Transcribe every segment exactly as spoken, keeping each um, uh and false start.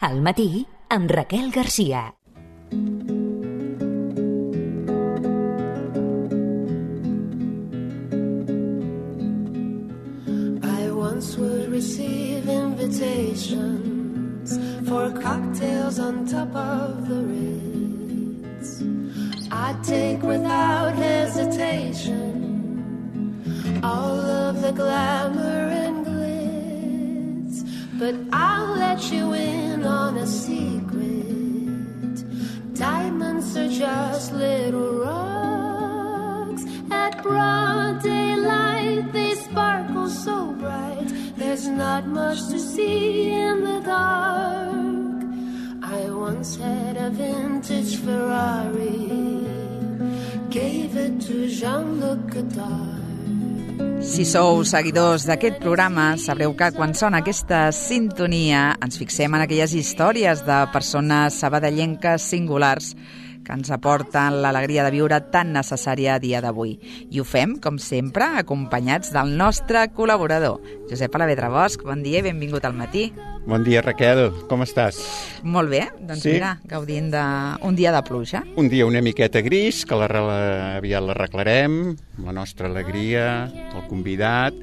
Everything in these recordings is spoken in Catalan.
Al matí, amb Raquel Garcia. I once would receive invitations for cocktails on top of the Ritz. I'd take without hesitation all of the glamour and glitz, but I'll let you in on a secret. Diamonds are just little rocks. At broad daylight they sparkle so bright. There's not much to see in the dark. I once had a vintage Ferrari, gave it to Jean-Luc Godard. Si sou seguidors d'aquest programa, sabreu que quan sona aquesta sintonia ens fixem en aquelles històries de persones sabadellenques singulars que ens aporten l'alegria de viure tan necessària a dia d'avui. I ho fem, com sempre, acompanyats del nostre col·laborador, Josep Alavedra Bosch. Bon dia i benvingut al matí. Bon dia, Raquel. Com estàs? Molt bé. Doncs sí. Mira, gaudint d'un dia de pluja. Un dia una miqueta gris, que la, aviat l'arreglarem, la nostra alegria, el convidat,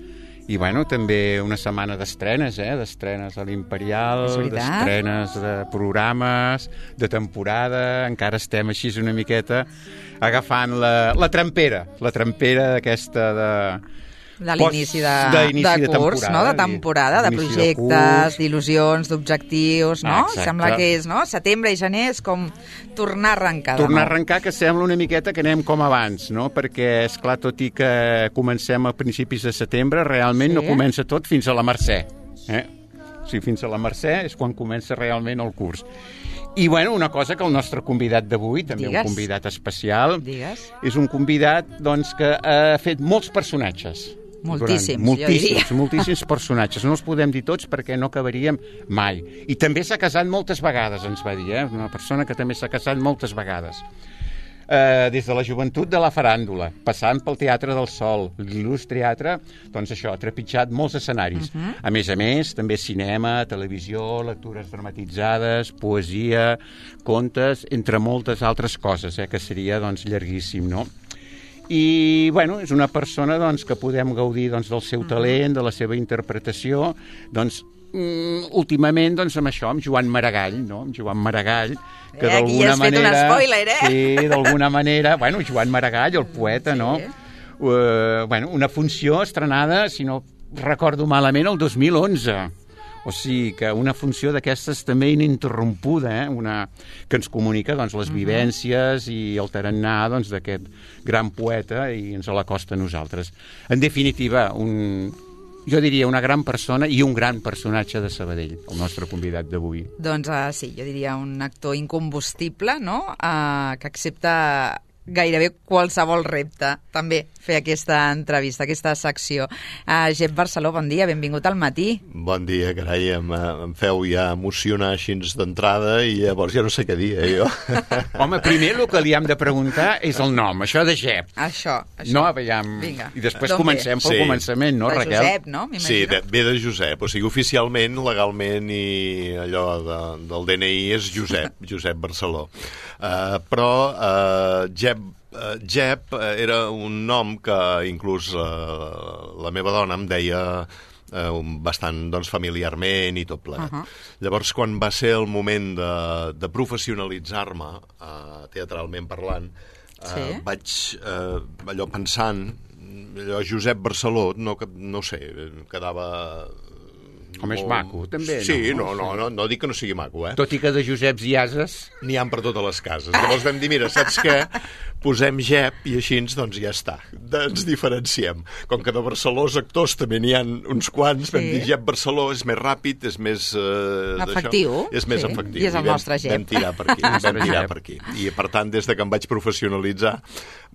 i bueno, també una setmana d'estrenes, eh? D'estrenes a l'Imperial, d'estrenes de programes, de temporada. Encara estem així una miqueta agafant la, la trampera, la trampera d'aquesta de... de l'inici de, de, de curs, de no? De temporada, de projectes, d'il·lusions, d'objectius, no? Exacte. Sembla que és, no? Setembre i gener és com tornar a arrencar. Tornar a arrencar, que sembla una miqueta que anem com abans, no? Perquè, esclar, tot i que comencem a principis de setembre, realment sí. No comença tot fins a la Mercè. Eh? O sigui, fins a la Mercè és quan comença realment el curs. I, bueno, una cosa que el nostre convidat d'avui, també Digues. Un convidat especial, Digues. És un convidat, doncs, que ha fet molts personatges. Moltíssims, Durant, moltíssims, moltíssims personatges. No els podem dir tots perquè no acabaríem mai. I també s'ha casat moltes vegades, ens va dir, eh? Una persona que també s'ha casat moltes vegades. Eh, des de la joventut de la faràndula, passant pel Teatre del Sol, l'il·lustre teatre, doncs això, ha trepitjat molts escenaris. Uh-huh. A més a més, també cinema, televisió, lectures dramatitzades, poesia, contes, entre moltes altres coses, eh? Que seria, doncs, llarguíssim, no? I, bueno, és una persona doncs, que podem gaudir doncs, del seu talent, de la seva interpretació, doncs, mm, últimament, doncs, amb això, amb Joan Maragall, no? Amb Joan Maragall, que eh, d'alguna manera... Aquí has fet un spoiler, eh? Sí, d'alguna manera... Bueno, Joan Maragall, el poeta, sí. No? Uh, bueno, una funció estrenada, si no recordo malament, el dos mil onze. O sigui, que una funció d'aquestes també ininterrompuda, eh? Una, que ens comunica doncs, les vivències i el tarannà doncs, d'aquest gran poeta i ens l'acosta a nosaltres. En definitiva, un, jo diria una gran persona i un gran personatge de Sabadell, el nostre convidat d'avui. Doncs uh, sí, jo diria un actor incombustible, no? Uh, que accepta gairebé qualsevol repte, també, fer aquesta entrevista, aquesta secció. Uh, Jep Barceló, bon dia, benvingut al matí. Bon dia, carai, em, em feu ja emocionar així d'entrada i llavors ja no sé què dir, eh, jo. Home, primer el que li hem de preguntar és el nom, això de Jep. Això, això. No, veiem... Vinga. I després comencem pel sí. començament, no, de Raquel? De Josep, no? Sí, de, ve de Josep, o sigui, oficialment, legalment i allò de, del D N I és Josep, Josep Barceló. Uh, però uh, Jep Uh, Jep uh, era un nom que inclús uh, la meva dona em deia uh, bastant doncs, familiarment i tot plegat. Uh-huh. Llavors, quan va ser el moment de, de professionalitzar-me, uh, teatralment parlant, uh, sí. vaig uh, allò pensant, allò Josep Barceló, no, no sé, quedava... Com és maco, també, sí, no? Sí, no, no, no, no dic que no sigui maco, eh? Tot i que de Joseps i Ases... N'hi ha per totes les cases. Llavors vam dir, mira, saps què? Posem Jep i així doncs ja està. Ens diferenciem. Com que de Barcelós actors també n'hi ha uns quants, sí. Vam dir Jep Barceló és més ràpid, és més... Eh, efectiu. És més sí. efectiu. I és el vam, nostre Jep. Vam tirar per aquí. vam tirar per aquí. I per tant, des de que em vaig professionalitzar,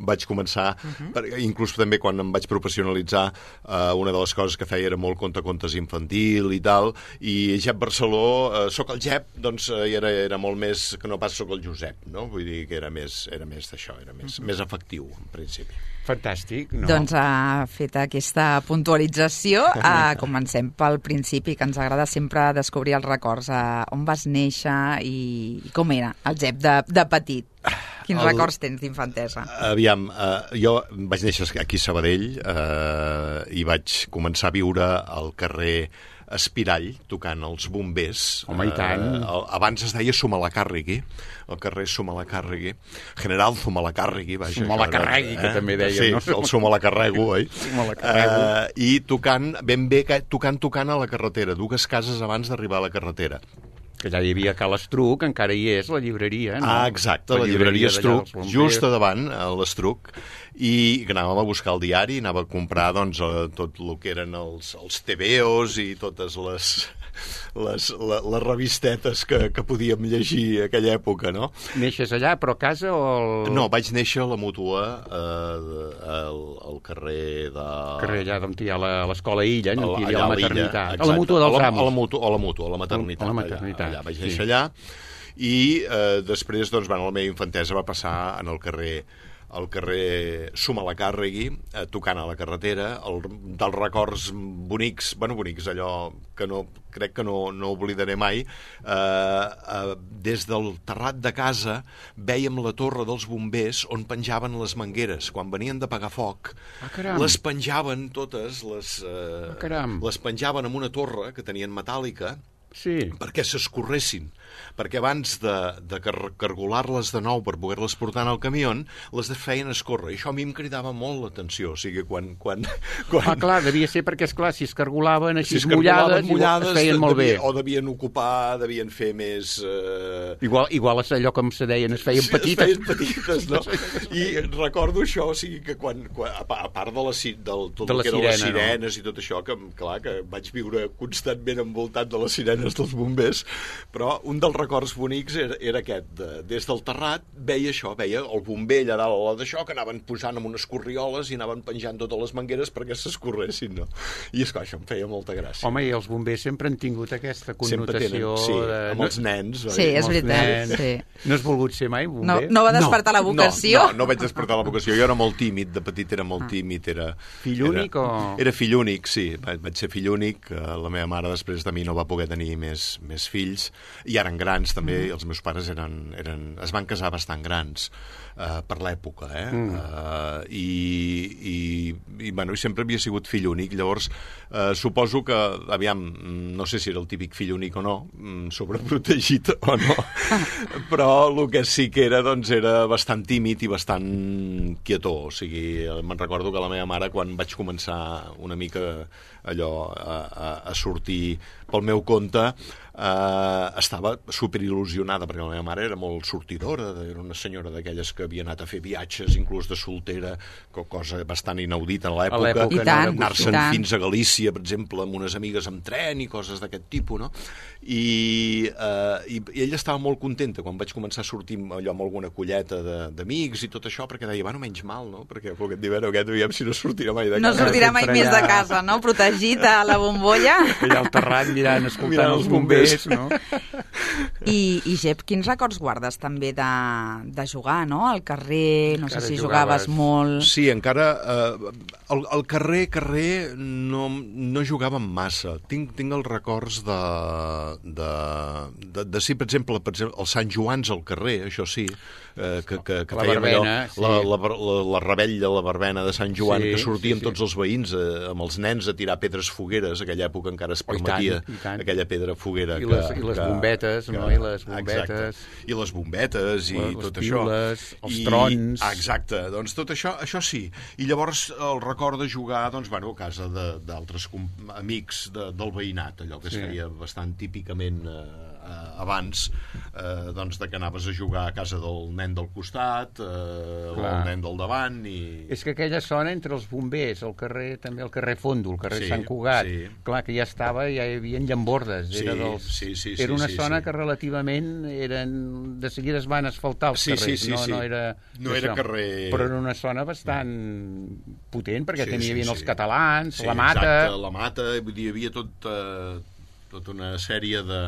vaig començar, uh-huh. per, inclús també quan em vaig professionalitzar, eh, una de les coses que feia era molt contar contes infantils fàcil i tal, i Jep Barceló, eh, soc el Jep, doncs eh, era, era molt més que no pas soc el Josep, no? Vull dir que era més, era més d'això, era més, més efectiu, en principi. Fantàstic, no? Doncs ha fet aquesta puntualització. Uh, comencem pel principi, que ens agrada sempre descobrir els records. Uh, on vas néixer i, i com era el Jep de, de petit? Quins el... records tens d'infantesa? Aviam, eh, jo vaig néixer aquí a Sabadell eh, i vaig començar a viure al carrer Espirall, tocant els bombers. Home, i tant. Eh, abans es deia Zumalacárregui, el carrer Zumalacárregui, General Zumalacárregui, vaja. Zumalacárregui, que també deia, sí, no? Sí, el Zumalacarrego, oi? Zumalacarrego. Eh, I tocant, ben bé, tocant, tocant a la carretera, dues cases abans d'arribar a la carretera. Que allà hi havia Cal Estruc, encara hi és, la llibreria, no? Ah, exacte, la, la llibreria, llibreria Estruc, just a davant, a l'Estruc, i anàvem a buscar el diari, anava a comprar doncs, tot el que eren els, els tebeos i totes les, les, les, les revistetes que, que podíem llegir a aquella època, no? Neixes allà, però a casa o... El... No, vaig néixer a la Mútua, eh, al, al carrer de... El carrer allà on hi ha l'escola Illa, on hi havia la maternitat. Exacte, a la Mútua dels a la, Amos. A la Mútua, a la Mútua, a la maternitat. A la maternitat. Allà, allà vaig néixer sí. allà, i eh, després, doncs, bueno, la meva infantesa va passar en el carrer al carrer Zumalacárregui, eh, tocant a la carretera, el, dels records bonics, bueno, bonics, allò que no, crec que no, no oblidaré mai, eh, eh, des del terrat de casa vèiem la torre dels bombers on penjaven les mangueres. Quan venien de pagar foc, ah, les penjaven totes, les, eh, ah, les penjaven en una torre que tenien metàl·lica, sí. perquè s'escorressin, perquè abans de, de car cargolar-les de nou per poder-les portar en el camió, les feien escórrer. I això a mi em cridava molt l'atenció. O sigui, quan... quan, quan... Ah, clar, devia ser perquè, esclar, si es cargolaven així si es mullades, mullades, es feien molt devia, bé. O devien ocupar, devien fer més... Eh... Igual, igual allò com se deien, es feien sí, petites. Es feien petites, no? I recordo això, o sigui, que quan, quan a part de, la, del, tot de el la que eren sirena, les sirenes no? I tot això, que, clar, que vaig viure constantment envoltat de les sirenes dels bombers, però un dels records bonics era, era aquest. De, des del terrat veia això, veia el bomber allà dalt d'això, que anaven posant amb unes corrioles i anaven penjant totes les mangueres perquè s'escorressin, no? I és que això em feia molta gràcia. Home, i els bombers sempre han tingut aquesta connotació... Tenen, sí, de... amb els nens. Sí, és veritat. Sí. No has volgut ser mai bomber? No, no va despertar no, la vocació? No, no, no vaig despertar la vocació. Jo era molt tímid, de petit era molt tímid. Era, fill únic era, o...? Era fill únic, sí. Vaig ser fill únic. La meva mare després de mi no va poder tenir més, més fills. I eren grans, també. Mm. Els meus pares eren, eren, es van casar bastant grans uh, per l'època, eh? Mm. Uh, i, i, i, bueno, i sempre havia sigut fill únic. Llavors, uh, suposo que, aviam, no sé si era el típic fill únic o no, sobreprotegit o no, però el que sí que era, doncs, era bastant tímid i bastant quietó. O sigui, me'n recordo que la meva mare, quan vaig començar una mica allò a, a, a sortir pel meu compte, eh, estava superil·lusionada, perquè la meva mare era molt sortidora, era una senyora d'aquelles que havia anat a fer viatges, inclús de soltera, cosa bastant inaudita a l'època, anar-se'n fins a Galícia, per exemple, amb unes amigues amb tren i coses d'aquest tipus, no? I, eh, i, i ella estava molt contenta quan vaig començar a sortir allò amb alguna colleta d'amics i tot això, perquè deia, bueno, menys mal, no? Perquè aquest d'hivern aquest veiem si no sortirà mai de casa. No sortirà mai més de casa, no? Protegit a la bombolla. Allà al terrat mirant, escoltant mirant els bombers, no? I, i Jep, quins records guardes també de, de jugar, no? Al carrer, no encara sé si jugaves, jugaves molt... Sí, encara... Eh, al, al carrer, carrer, no, no jugàvem massa. Tinc, tinc els records de... de, de, de sí, per exemple, per exemple, els Sant Joans al carrer, això sí, eh, que, que, que la fèiem verbena, allò, sí. la, la, la, la rebell de la verbena de Sant Joan, sí, que sortíem sí, sí. tots els veïns eh, amb els nens a tirar pedres fogueres, aquella època encara es permetia oh, i tant, i tant. aquella pedra foguera. I que, les, i les que, bombetes, que, no? I les bombetes... Exacte. I les bombetes i les, tot les piules, això. els I, trons... Exacte, doncs tot això, això sí. I llavors el record de jugar, doncs, bueno, a casa d'altres amics de, del veïnat, allò que es sí. feia bastant típicament eh, eh, abans, eh, doncs, de que anaves a jugar a casa del nen del costat, eh, o el nen del davant, i... És que aquella zona entre els bombers, el carrer, també el carrer Fondo, el carrer sí, Sant Cugat, sí. clar, que ja estava, ja hi havia llambordes, sí, era, dels, sí, sí, sí, era una sí, zona sí. que relativament eren, de seguida es van asfaltar els sí, carrers, sí, sí, no, sí. no era... No era carrer... Però era una zona bastant potent, perquè sí, tenia sí, sí, sí. els catalans, sí, la Mata... Exacte, la Mata, vull dir, hi havia tot... Eh, tota una sèrie de...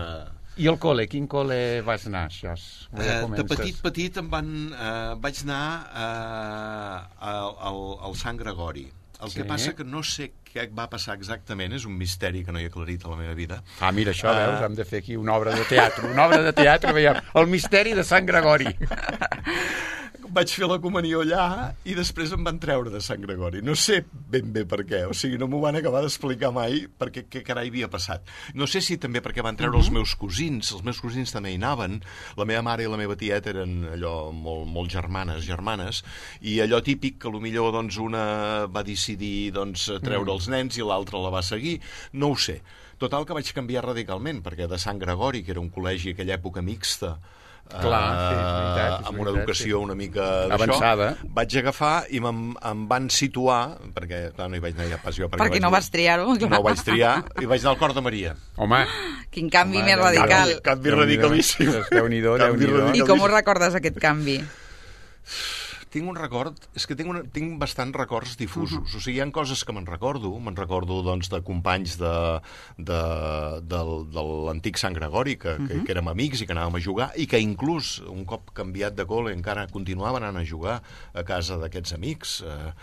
I el col·le? Quin col·le vas anar, això? Eh, de petit, petit em van... Eh, vaig anar eh, al, al, al Sant Gregori. El sí. que passa que no sé què va passar exactament, és un misteri que no he aclarit a la meva vida. Ah, mira, això, uh... veus, hem de fer aquí una obra de teatre. Una obra de teatre, veiem, el misteri de Sant Gregori. Vaig fer la comunió allà i després em van treure de Sant Gregori. No sé ben bé per què, o sigui, no m'ho van acabar d'explicar mai perquè què carai havia passat. No sé si també perquè van treure uh -huh. els meus cosins, els meus cosins també hi anaven, la meva mare i la meva tieta eren allò molt, molt germanes, germanes, i allò típic que potser doncs, una va decidir doncs, treure els nens i l'altra la va seguir, no ho sé. Total que vaig canviar radicalment, perquè de Sant Gregori, que era un col·legi a aquella època mixta, Clar, sí, és veritat, és amb una veritat, educació sí. una mica avançada, vaig agafar i em, em van situar, perquè clar, no hi vaig anar ja pas jo, perquè, perquè no vas triar-ho. No ho vaig triar, i vaig anar al Cor de Maria. Home, quin canvi Home, més radical. Canvi, canvi radicalíssim. Déu-n'hi-do, Déu-n'hi-do. I com ho recordes, aquest canvi? Tinc un record, és que tinc, una, tinc bastants records difusos. Uh -huh. O sigui, hi ha coses que me'n recordo, me'n recordo doncs, de companys de, de, de, de l'antic Sant Gregori, que, uh -huh. que, que érem amics i que anàvem a jugar, i que inclús, un cop canviat de col·le, encara continuaven anant a jugar a casa d'aquests amics. Eh,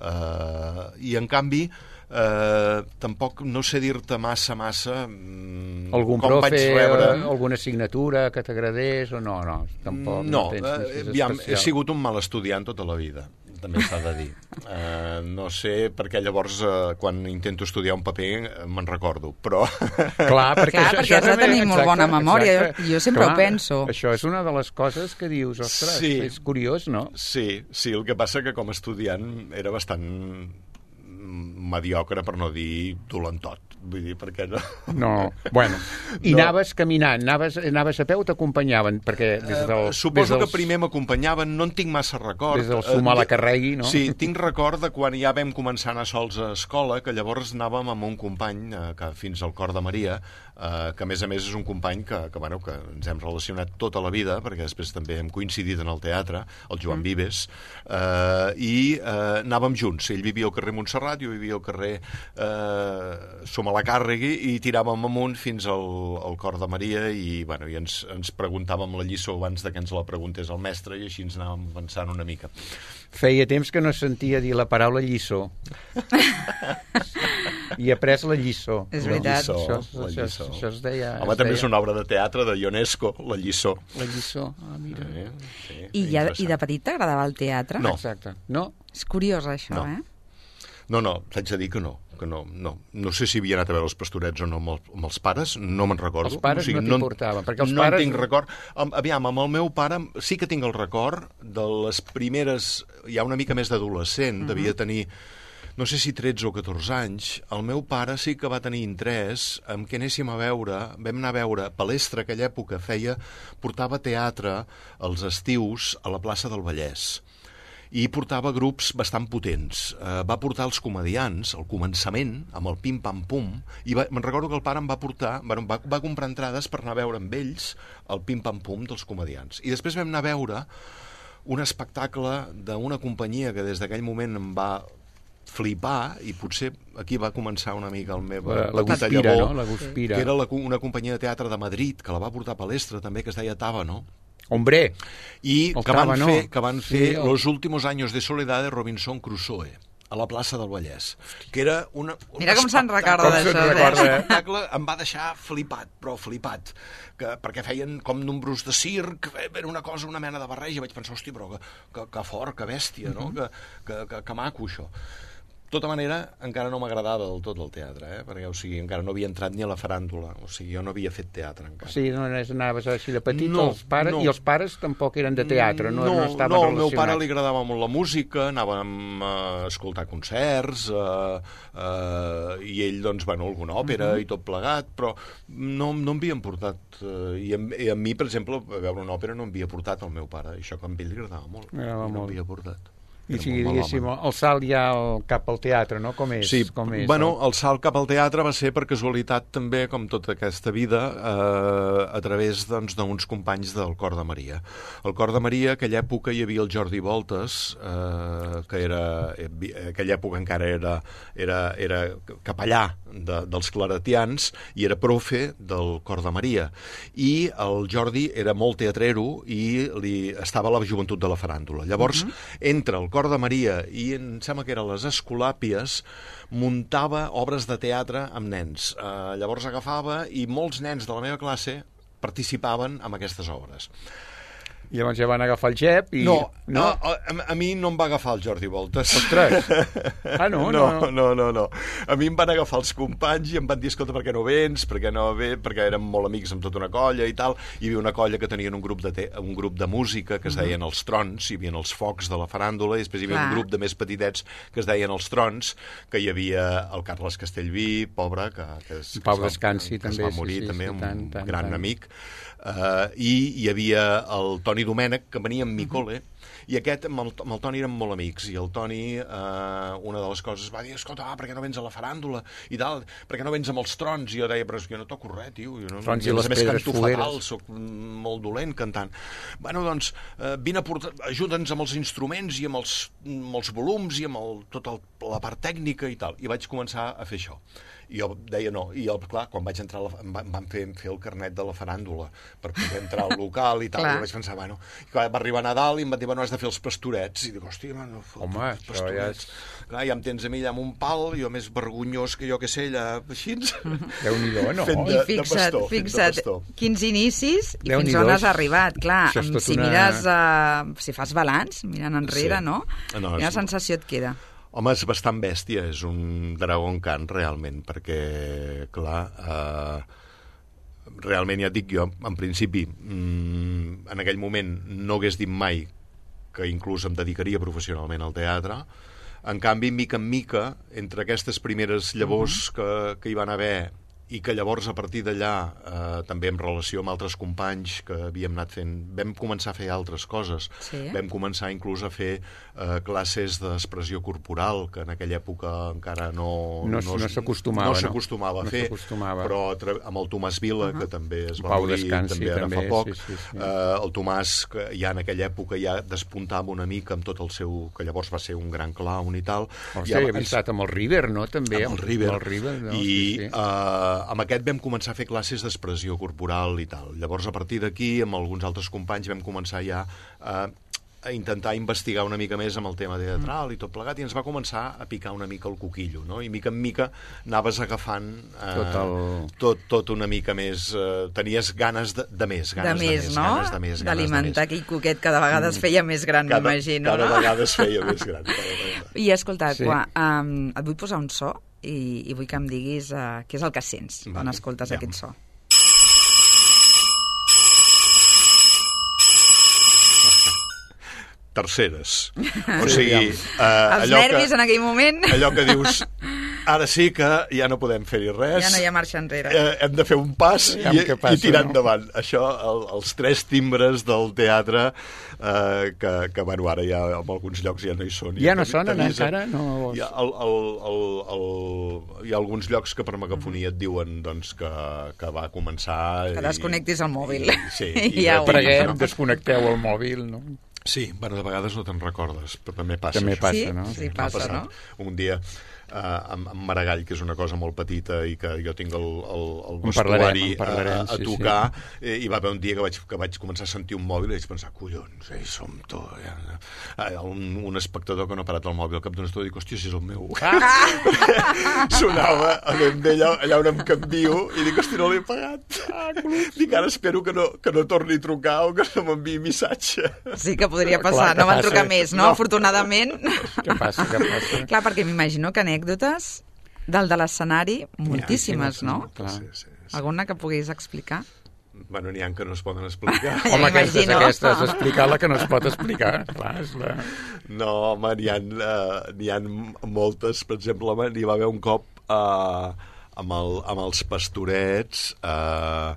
eh, I, en canvi, eh, tampoc no sé dir-te massa, massa algun com profe, vaig rebre... alguna assignatura que t'agradés o no, no, tampoc no, no tens eh, aviam, he sigut un mal estudiant tota la vida, també s'ha de dir. Eh, no sé, perquè llavors eh, quan intento estudiar un paper me'n recordo, però... Clar, perquè, Clar, això, perquè això has de també, tenir molt bona memòria, exacte. jo, jo sempre Clar, ho penso. Això és una de les coses que dius, ostres, Sí. és curiós, no? Sí, sí, el que passa que com a estudiant era bastant mediocre, per no dir dolentot. Vull dir, perquè no... No, bueno. I No. anaves caminant, anaves, anaves a peu, t'acompanyaven, perquè des del... Eh, suposo des dels, que primer m'acompanyaven, no en tinc massa record. Des del sumar Eh, la carregui, no? Sí, tinc record de quan ja vam començar a anar sols a escola, que llavors anàvem amb un company, eh, que fins al Cor de Maria, eh, que a més a més és un company que, que, bueno, que ens hem relacionat tota la vida, perquè després també hem coincidit en el teatre, el Joan mm. Vives, eh, i eh, anàvem junts. Ell vivia al carrer Montserrat, jo vivia al carrer eh, Som a la Càrregui, i tiràvem amunt fins al, al Cor de Maria, i, bueno, i ens, ens preguntàvem la lliçó abans de que ens la preguntés el mestre, i així ens anàvem avançant una mica. Feia temps que no sentia dir la paraula lliçó. I he après la lliçó. És La veritat. lliçó, Això, la això, lliçó. això es deia... Home, es també deia... és una obra de teatre de Ionesco, La lliçó. La lliçó, ah, mira. Eh, sí, I, ja, interessant. I de petit t'agradava el teatre? No. Exacte. No? És curiós, això, No. eh? No, no, t'haig de dir que no, que no, no. No sé si havia anat a veure els Pastorets o no amb, el, amb els pares, no me'n recordo. Els pares no t'importaven, perquè els no pares- No en tinc record. Am- Aviam, amb el meu pare sí que tinc el record de les primeres, ja una mica més d'adolescent, uh-huh. devia tenir, no sé si tretze o catorze anys. El meu pare sí que va tenir interès en què anéssim a veure, vam anar a veure Palestra, aquella època feia, portava teatre als estius a la plaça del Vallès, i portava grups bastant potents. Eh, va portar els comediants al començament, amb el pim-pam-pum, i va, me'n recordo que el pare em va portar, bueno, va, va comprar entrades per anar a veure amb ells el pim-pam-pum dels comediants. I després vam anar a veure un espectacle d'una companyia que des d'aquell moment em va flipar, i potser aquí va començar una mica el meu La, la petita Guspira, llavor, no? La Guspira. que era la, una companyia de teatre de Madrid, que la va portar a Palestra també, que es deia Tábano, Hombre, i El que van Tábano. fer, que van fer Sí, el- Los últimos años de soledad de Robinson Crusoe a la plaça del Vallès, que era una, un Mira com se'n recorda Com se'n d'això, eh? recorda, eh? l'espectacle em va deixar flipat, però flipat, que, perquè feien com números de circ, era una cosa, una mena de barreja, vaig pensar, hòstia, però que, que, que fort, que bèstia, no? que, que, que, que maco, això. De tota manera, encara no m'agradava del tot el teatre, eh? perquè, o sigui, encara no havia entrat ni a la faràndula, o sigui, jo no havia fet teatre encara. sí, no anaves així de petit, No, els pares, no. i els pares tampoc eren de teatre, no, no, no, estaven no, al relacionats. meu pare li agradava molt la música, anàvem a escoltar concerts, eh, eh, i ell, doncs, bueno, alguna òpera uh -huh. i tot plegat, però no, no em havien portat, eh, i, a, i a mi, per exemple, a veure una òpera no em havia portat el meu pare, això que a ell li agradava molt, Agradava i no molt. m'havia portat. I si diguéssim, el salt ja el, cap al teatre, no? Com és? Sí, com és, bueno, el salt cap al teatre va ser per casualitat també, com tota aquesta vida, eh, a través doncs, d'uns companys del Cor de Maria. El Cor de Maria, aquella època hi havia el Jordi Voltes, eh, que era, aquella època encara era, era, era capellà de, dels claretians i era profe del Cor de Maria. I el Jordi era molt teatrero i li, estava a la joventut de la faràndula. Llavors, uh-huh. entre el Cor de Maria i em sembla que eren les Escolàpies, muntava obres de teatre amb nens. Eh, llavors agafava i molts nens de la meva classe participaven en aquestes obres. I llavors ja van agafar el Jep i... No, no? A, a, a mi no em va agafar el Jordi Voltes. Ostres! Ah, no? No, no, no, no, no. A mi em van agafar els companys i em van dir, escolta, per què no vens? Per què no ve? Perquè érem molt amics amb tota una colla i tal. Hi havia una colla que tenien un grup de, te un grup de música que es deien Els Trons, hi havia els focs de la faràndula, i després hi havia Clar. un grup de més petitets que es deien Els Trons, que hi havia el Carles Castellví, pobre, que, que, es, Pau que, Descansi, que també, es va morir, sí, sí, també, sí, un tant, tant, gran tant. amic. Uh, i hi havia el Toni Domènech, que venia amb mi col·le, i aquest amb el, amb el Toni érem molt amics, i el Toni, uh, una de les coses, va dir, escolta, ah, per què no vens a la faràndula? I tal, per què no vens amb els Trons? I jo deia, però és que jo no toco res, tio. Jo no, Trons i les més pedres canto fogueres. fatal, soc molt dolent cantant. Bueno, doncs, uh, vine a portar, ajuda'ns amb els instruments i amb els, amb els volums i amb el, tota el, la part tècnica i tal. I vaig començar a fer això. I jo deia no, i el, clar, quan vaig entrar, la, em, va, em van fer, fer el carnet de la faràndula per poder entrar al local i tal, i vaig pensar, bueno, i quan va arribar Nadal i em van dir, bueno, has de fer els pastorets, i dic, hòstia, man, home, això ja és... Clar, ja em tens a mi allà amb un pal, jo més vergonyós que jo que sé, allà així, Déu-n'hi-do, no? fent I de, fixa't, de pastor, fixa't, de pastor. quins inicis i fins Déu-n'hi-do, on has arribat, clar, si una... mires, uh, si fas balanç, mirant enrere, Sí. no? No, Quina és- sensació et queda? Home, és bastant bèstia, és un dragon can, realment, perquè, clar, eh, realment ja et dic jo, en principi, mmm, en aquell moment no hagués dit mai que inclús em dedicaria professionalment al teatre. En canvi, mica en mica, entre aquestes primeres llavors que, que hi van haver i que llavors a partir d'allà eh, també en relació amb altres companys que havíem anat fent, vam començar a fer altres coses, Sí. vam començar inclús a fer eh, classes d'expressió corporal, que en aquella època encara no No- no s'acostumava, no no? s'acostumava No a fer, s'acostumava. però a tra- amb el Tomàs Vila, que també es va Pau morir Descansi, també ara també, fa poc, sí, sí, sí. Eh, el Tomàs, que ja en aquella època ja despuntava una mica amb tot el seu, que llavors va ser un gran clown i tal. Hòstia, I ja abans- havia estat amb el River, no? També, amb el River, Amb el River, no? i Sí, sí. eh, amb aquest vam començar a fer classes d'expressió corporal i tal. Llavors, a partir d'aquí, amb alguns altres companys, vam començar ja a, a intentar investigar una mica més amb el tema teatral i tot plegat, i ens va començar a picar una mica el coquillo, no? I mica en mica anaves agafant eh, Tot el- tot, tot una mica més... Eh, tenies ganes de, de més, De ganes de més, més, no? ganes de més, ganes D'alimentar de més. aquell coquet que de vegades feia més gran, Cada, m'imagino, cada no? vegada es feia més gran. Cada vegada. I escolta, Sí. sí. Qua, um, et vull posar un so i, i vull que em diguis uh, què és el que sents Vale, quan escoltes aviam. aquest so. Terceres. O sigui... Eh, Els allò nervis que, en aquell moment allò que dius, ara sí que ja no podem fer-hi res. ja no hi ha marxa enrere. Eh, hem de fer un pas Aviam i, què passa, i tirar no? endavant. Això, el, els tres timbres del teatre, eh, que, que bueno, ara ja en alguns llocs ja no hi són. Ja no t'avisen. sonen encara? No... Hi ha, el, el, el, el, hi ha alguns llocs que per megafonia et diuen doncs, que, que va començar... Que desconnectis el mòbil. I, sí, i Ja ho retiris, Preguem, no? desconnecteu el mòbil, no? Sí, bueno, de vegades no te'n recordes, però també passa. També això. passa, Sí? no? Sí, M'ha passa, passat no? un dia eh, amb, amb Maragall, que és una cosa molt petita i que jo tinc el, el, el En parlarem, vestuari en parlarem, a, a sí, tocar, sí. I va haver un dia que vaig, que vaig començar a sentir un mòbil i vaig pensar, collons, ei, som to... Ja. Un, un espectador que no ha parat el mòbil al cap d'una estona i dic, hòstia, si és el meu. Sonava allà, allà on em canvio i dic, hòstia, no l'he pagat. Dic, ara espero que no, que no torni a trucar o que no m'enviï missatge. Sí que podria Clar, passar, que no van passa. trucar més, no? No. Afortunadament. Què passa, què passa? Clar, perquè m'imagino que anècdotes del de l'escenari, moltíssimes, no? Clar. Sí, sí, sí. Alguna que puguis explicar? Bueno, n'hi ha que no es poden explicar. Ja Home, aquestes, m'imagino. aquestes, explicar la que no es pot explicar. Clar, és la... No, home, n'hi ha, uh, n'hi ha moltes. Per exemple, home, n'hi va haver un cop uh, amb, el, amb els pastorets, uh,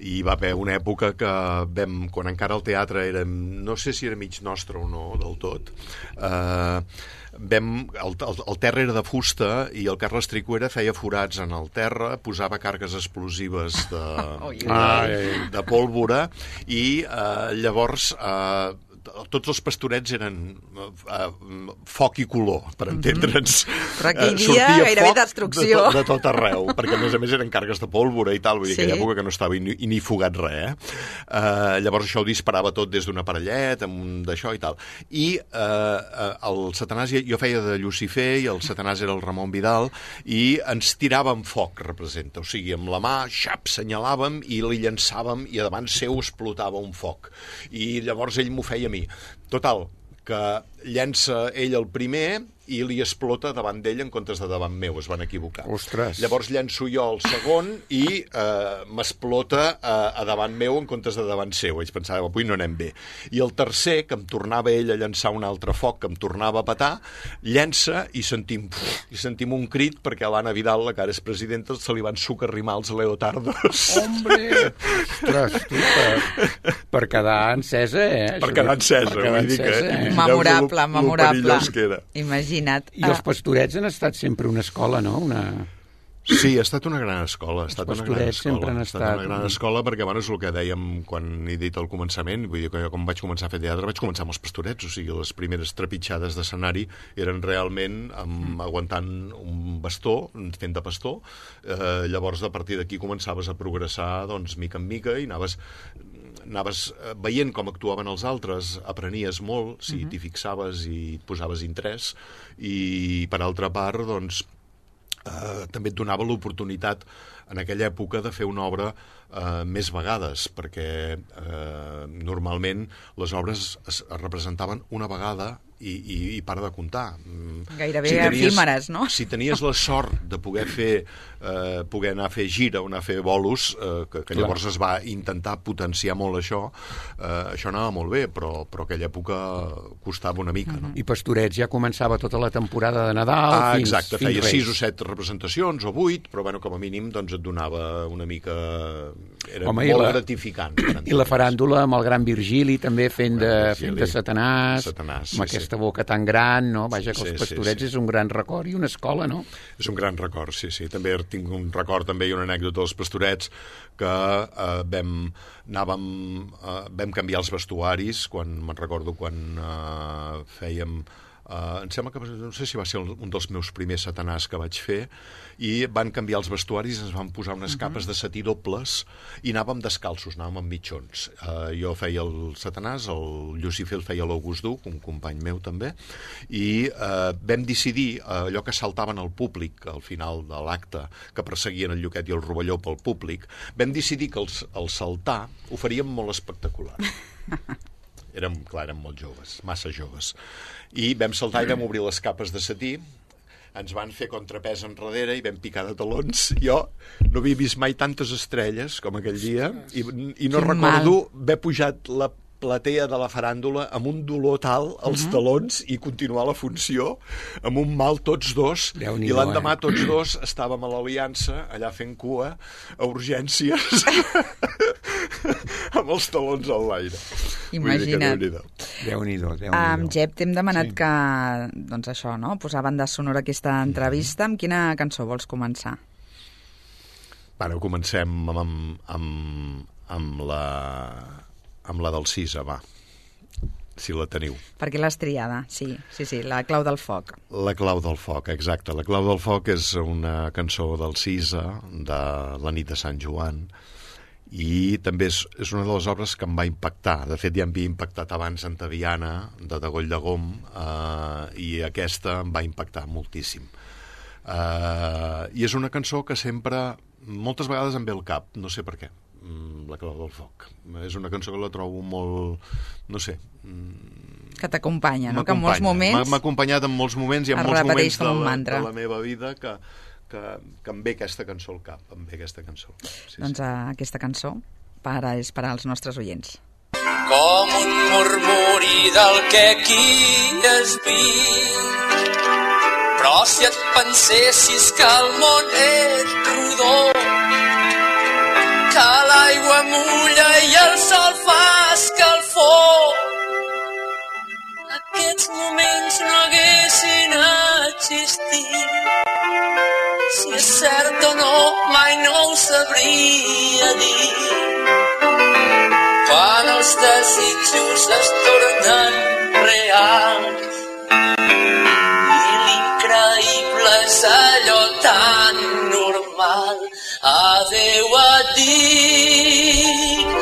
i va haver una època que vam, quan encara el teatre era, no sé si era mig nostre o no del tot, eh, vam, el, el, el terra era de fusta i el Carles Tricuera feia forats en el terra, posava cargues explosives de, de, de pólvora i eh, llavors eh, tots els pastorets eren uh, foc i color, per entendre'ns. Però aquell dia uh, gairebé destrucció. De, de tot arreu, perquè a més a més eren cargues de pólvora i tal, vull dir, sí. Aquella època que no estava ni, ni fugat res, eh? Uh, llavors això ho disparava tot des d'una parellet, amb d'això i tal. I uh, el Satanàs, jo feia de Lucifer i el Satanàs era el Ramon Vidal, i ens tiràvem foc, representa. O sigui, amb la mà, xap, senyalàvem i li llançàvem i davant seu explotava un foc. I llavors ell m'ho feia a mi. Total, que llença ell el primer i li explota davant d'ell en comptes de davant meu, es van equivocar. Ostres. Llavors llenço jo el segon i eh, m'explota eh, a davant meu en comptes de davant seu. Ells pensaven, avui no anem bé. I el tercer, que em tornava ell a llançar un altre foc, que em tornava a petar, llença i sentim, i sentim un crit perquè a l'Anna Vidal, la que ara és presidenta, se li van socarrimar els leotardos. Hombre! Ostres, tu, per, per quedar encesa, eh? Per quedar encesa, per quedar vull dir que... Eh? Memorable, memorable. Imagina't. I els pastorets han estat sempre una escola, no? Una... Sí, ha estat una gran escola. Ha estat una gran escola. sempre han ha estat... estat una gran escola perquè, bueno, és el que dèiem quan he dit al començament, vull dir que jo quan vaig començar a fer teatre vaig començar amb els pastorets, o sigui, les primeres trepitjades d'escenari eren realment amb, mm. aguantant un bastó, fent de pastor, eh, llavors a partir d'aquí començaves a progressar, doncs, mica en mica, i anaves anaves veient com actuaven els altres, aprenies molt, si uh-huh. t'hi fixaves i et posaves interès, i per altra part, doncs, eh, també et donava l'oportunitat en aquella època de fer una obra eh, més vegades, perquè eh, normalment les obres es, es representaven una vegada i, i, i para de comptar. Gairebé si tenies, efímeres, no? Si tenies la sort de poder fer eh, poder anar a fer gira o anar a fer bolos, eh, que, que llavors es va intentar potenciar molt això, eh, això anava molt bé, però, però aquella època costava una mica, no? I Pastorets ja començava tota la temporada de Nadal ah, fins, exacte, fins feia Reis. sis o set representacions o vuit, però bueno, com a mínim doncs et donava una mica... Era Home, molt la, gratificant. I la faràndula amb el gran Virgili també fent de, fent de Satanàs, Satanàs amb sí, aquesta boca tan gran, no? Vaja, que sí, els Pastorets sí, sí. és un gran record i una escola, no? És un gran record, sí, sí. També tinc un record també i una anècdota dels Pastorets que eh, vam, anàvem, eh, vam canviar els vestuaris, quan me'n recordo quan eh, fèiem... Uh, em sembla que no sé si va ser un dels meus primers Satanàs que vaig fer, i van canviar els vestuaris, ens van posar unes capes de setí dobles i anàvem descalços, anàvem amb mitjons. Uh, jo feia el Satanàs, el Lucifer el feia l'August Duc, un company meu també, i uh, vam decidir uh, allò que saltaven al públic al final de l'acte, que perseguien el Lluquet i el Rovelló pel públic, vam decidir que els, el saltar ho faríem molt espectacular. Érem, clar, érem molt joves, massa joves. I vam saltar i vam obrir les capes de setí, ens van fer contrapès enrere i vam picar de talons. Jo no havia vist mai tantes estrelles com aquell dia i, i no Quin recordo mal. haver pujat la platea de la faràndula amb un dolor tal als uh-huh. talons i continuar la funció amb un mal tots dos. I l'endemà eh? tots dos estàvem a l'Aliança allà fent cua a urgències amb els talons al l'aire. Imagina't. Déu-n'hi-do. Um, Jep, t'hem demanat sí. que, doncs això, no? posar banda sonora aquesta entrevista. Amb quina cançó vols començar? Bueno, comencem amb, amb, amb, amb la... amb la del Cisa, va, si la teniu. Perquè l'has triada, sí, sí, sí, la clau del foc. La clau del foc, exacte. La clau del foc és una cançó del Cisa, de la nit de Sant Joan, i també és, és una de les obres que em va impactar. De fet, ja em havia impactat abans Antaviana, de Degoll de Gom, eh, i aquesta em va impactar moltíssim. Eh, I és una cançó que sempre, moltes vegades em ve al cap, no sé per què. La clau del foc. És una cançó que la trobo molt, no sé... Que t'acompanya, no? Que en molts moments... M'ha acompanyat en molts moments i en molts moments de la, de la meva vida que, que, que em ve aquesta cançó al cap. Em ve aquesta cançó. Sí, doncs sí. Aquesta cançó para és per als nostres oients. Com un murmuri del que aquí has vist, però si et pensessis que el món és rodó, que l'aigua mulla i el sol fa escalfor. Aquests moments no haguessin existit. Si és cert o no, mai no ho sabria dir. Quan els desitjos es tornen reals i l'increïble és allò tan normal. Adéu et dic.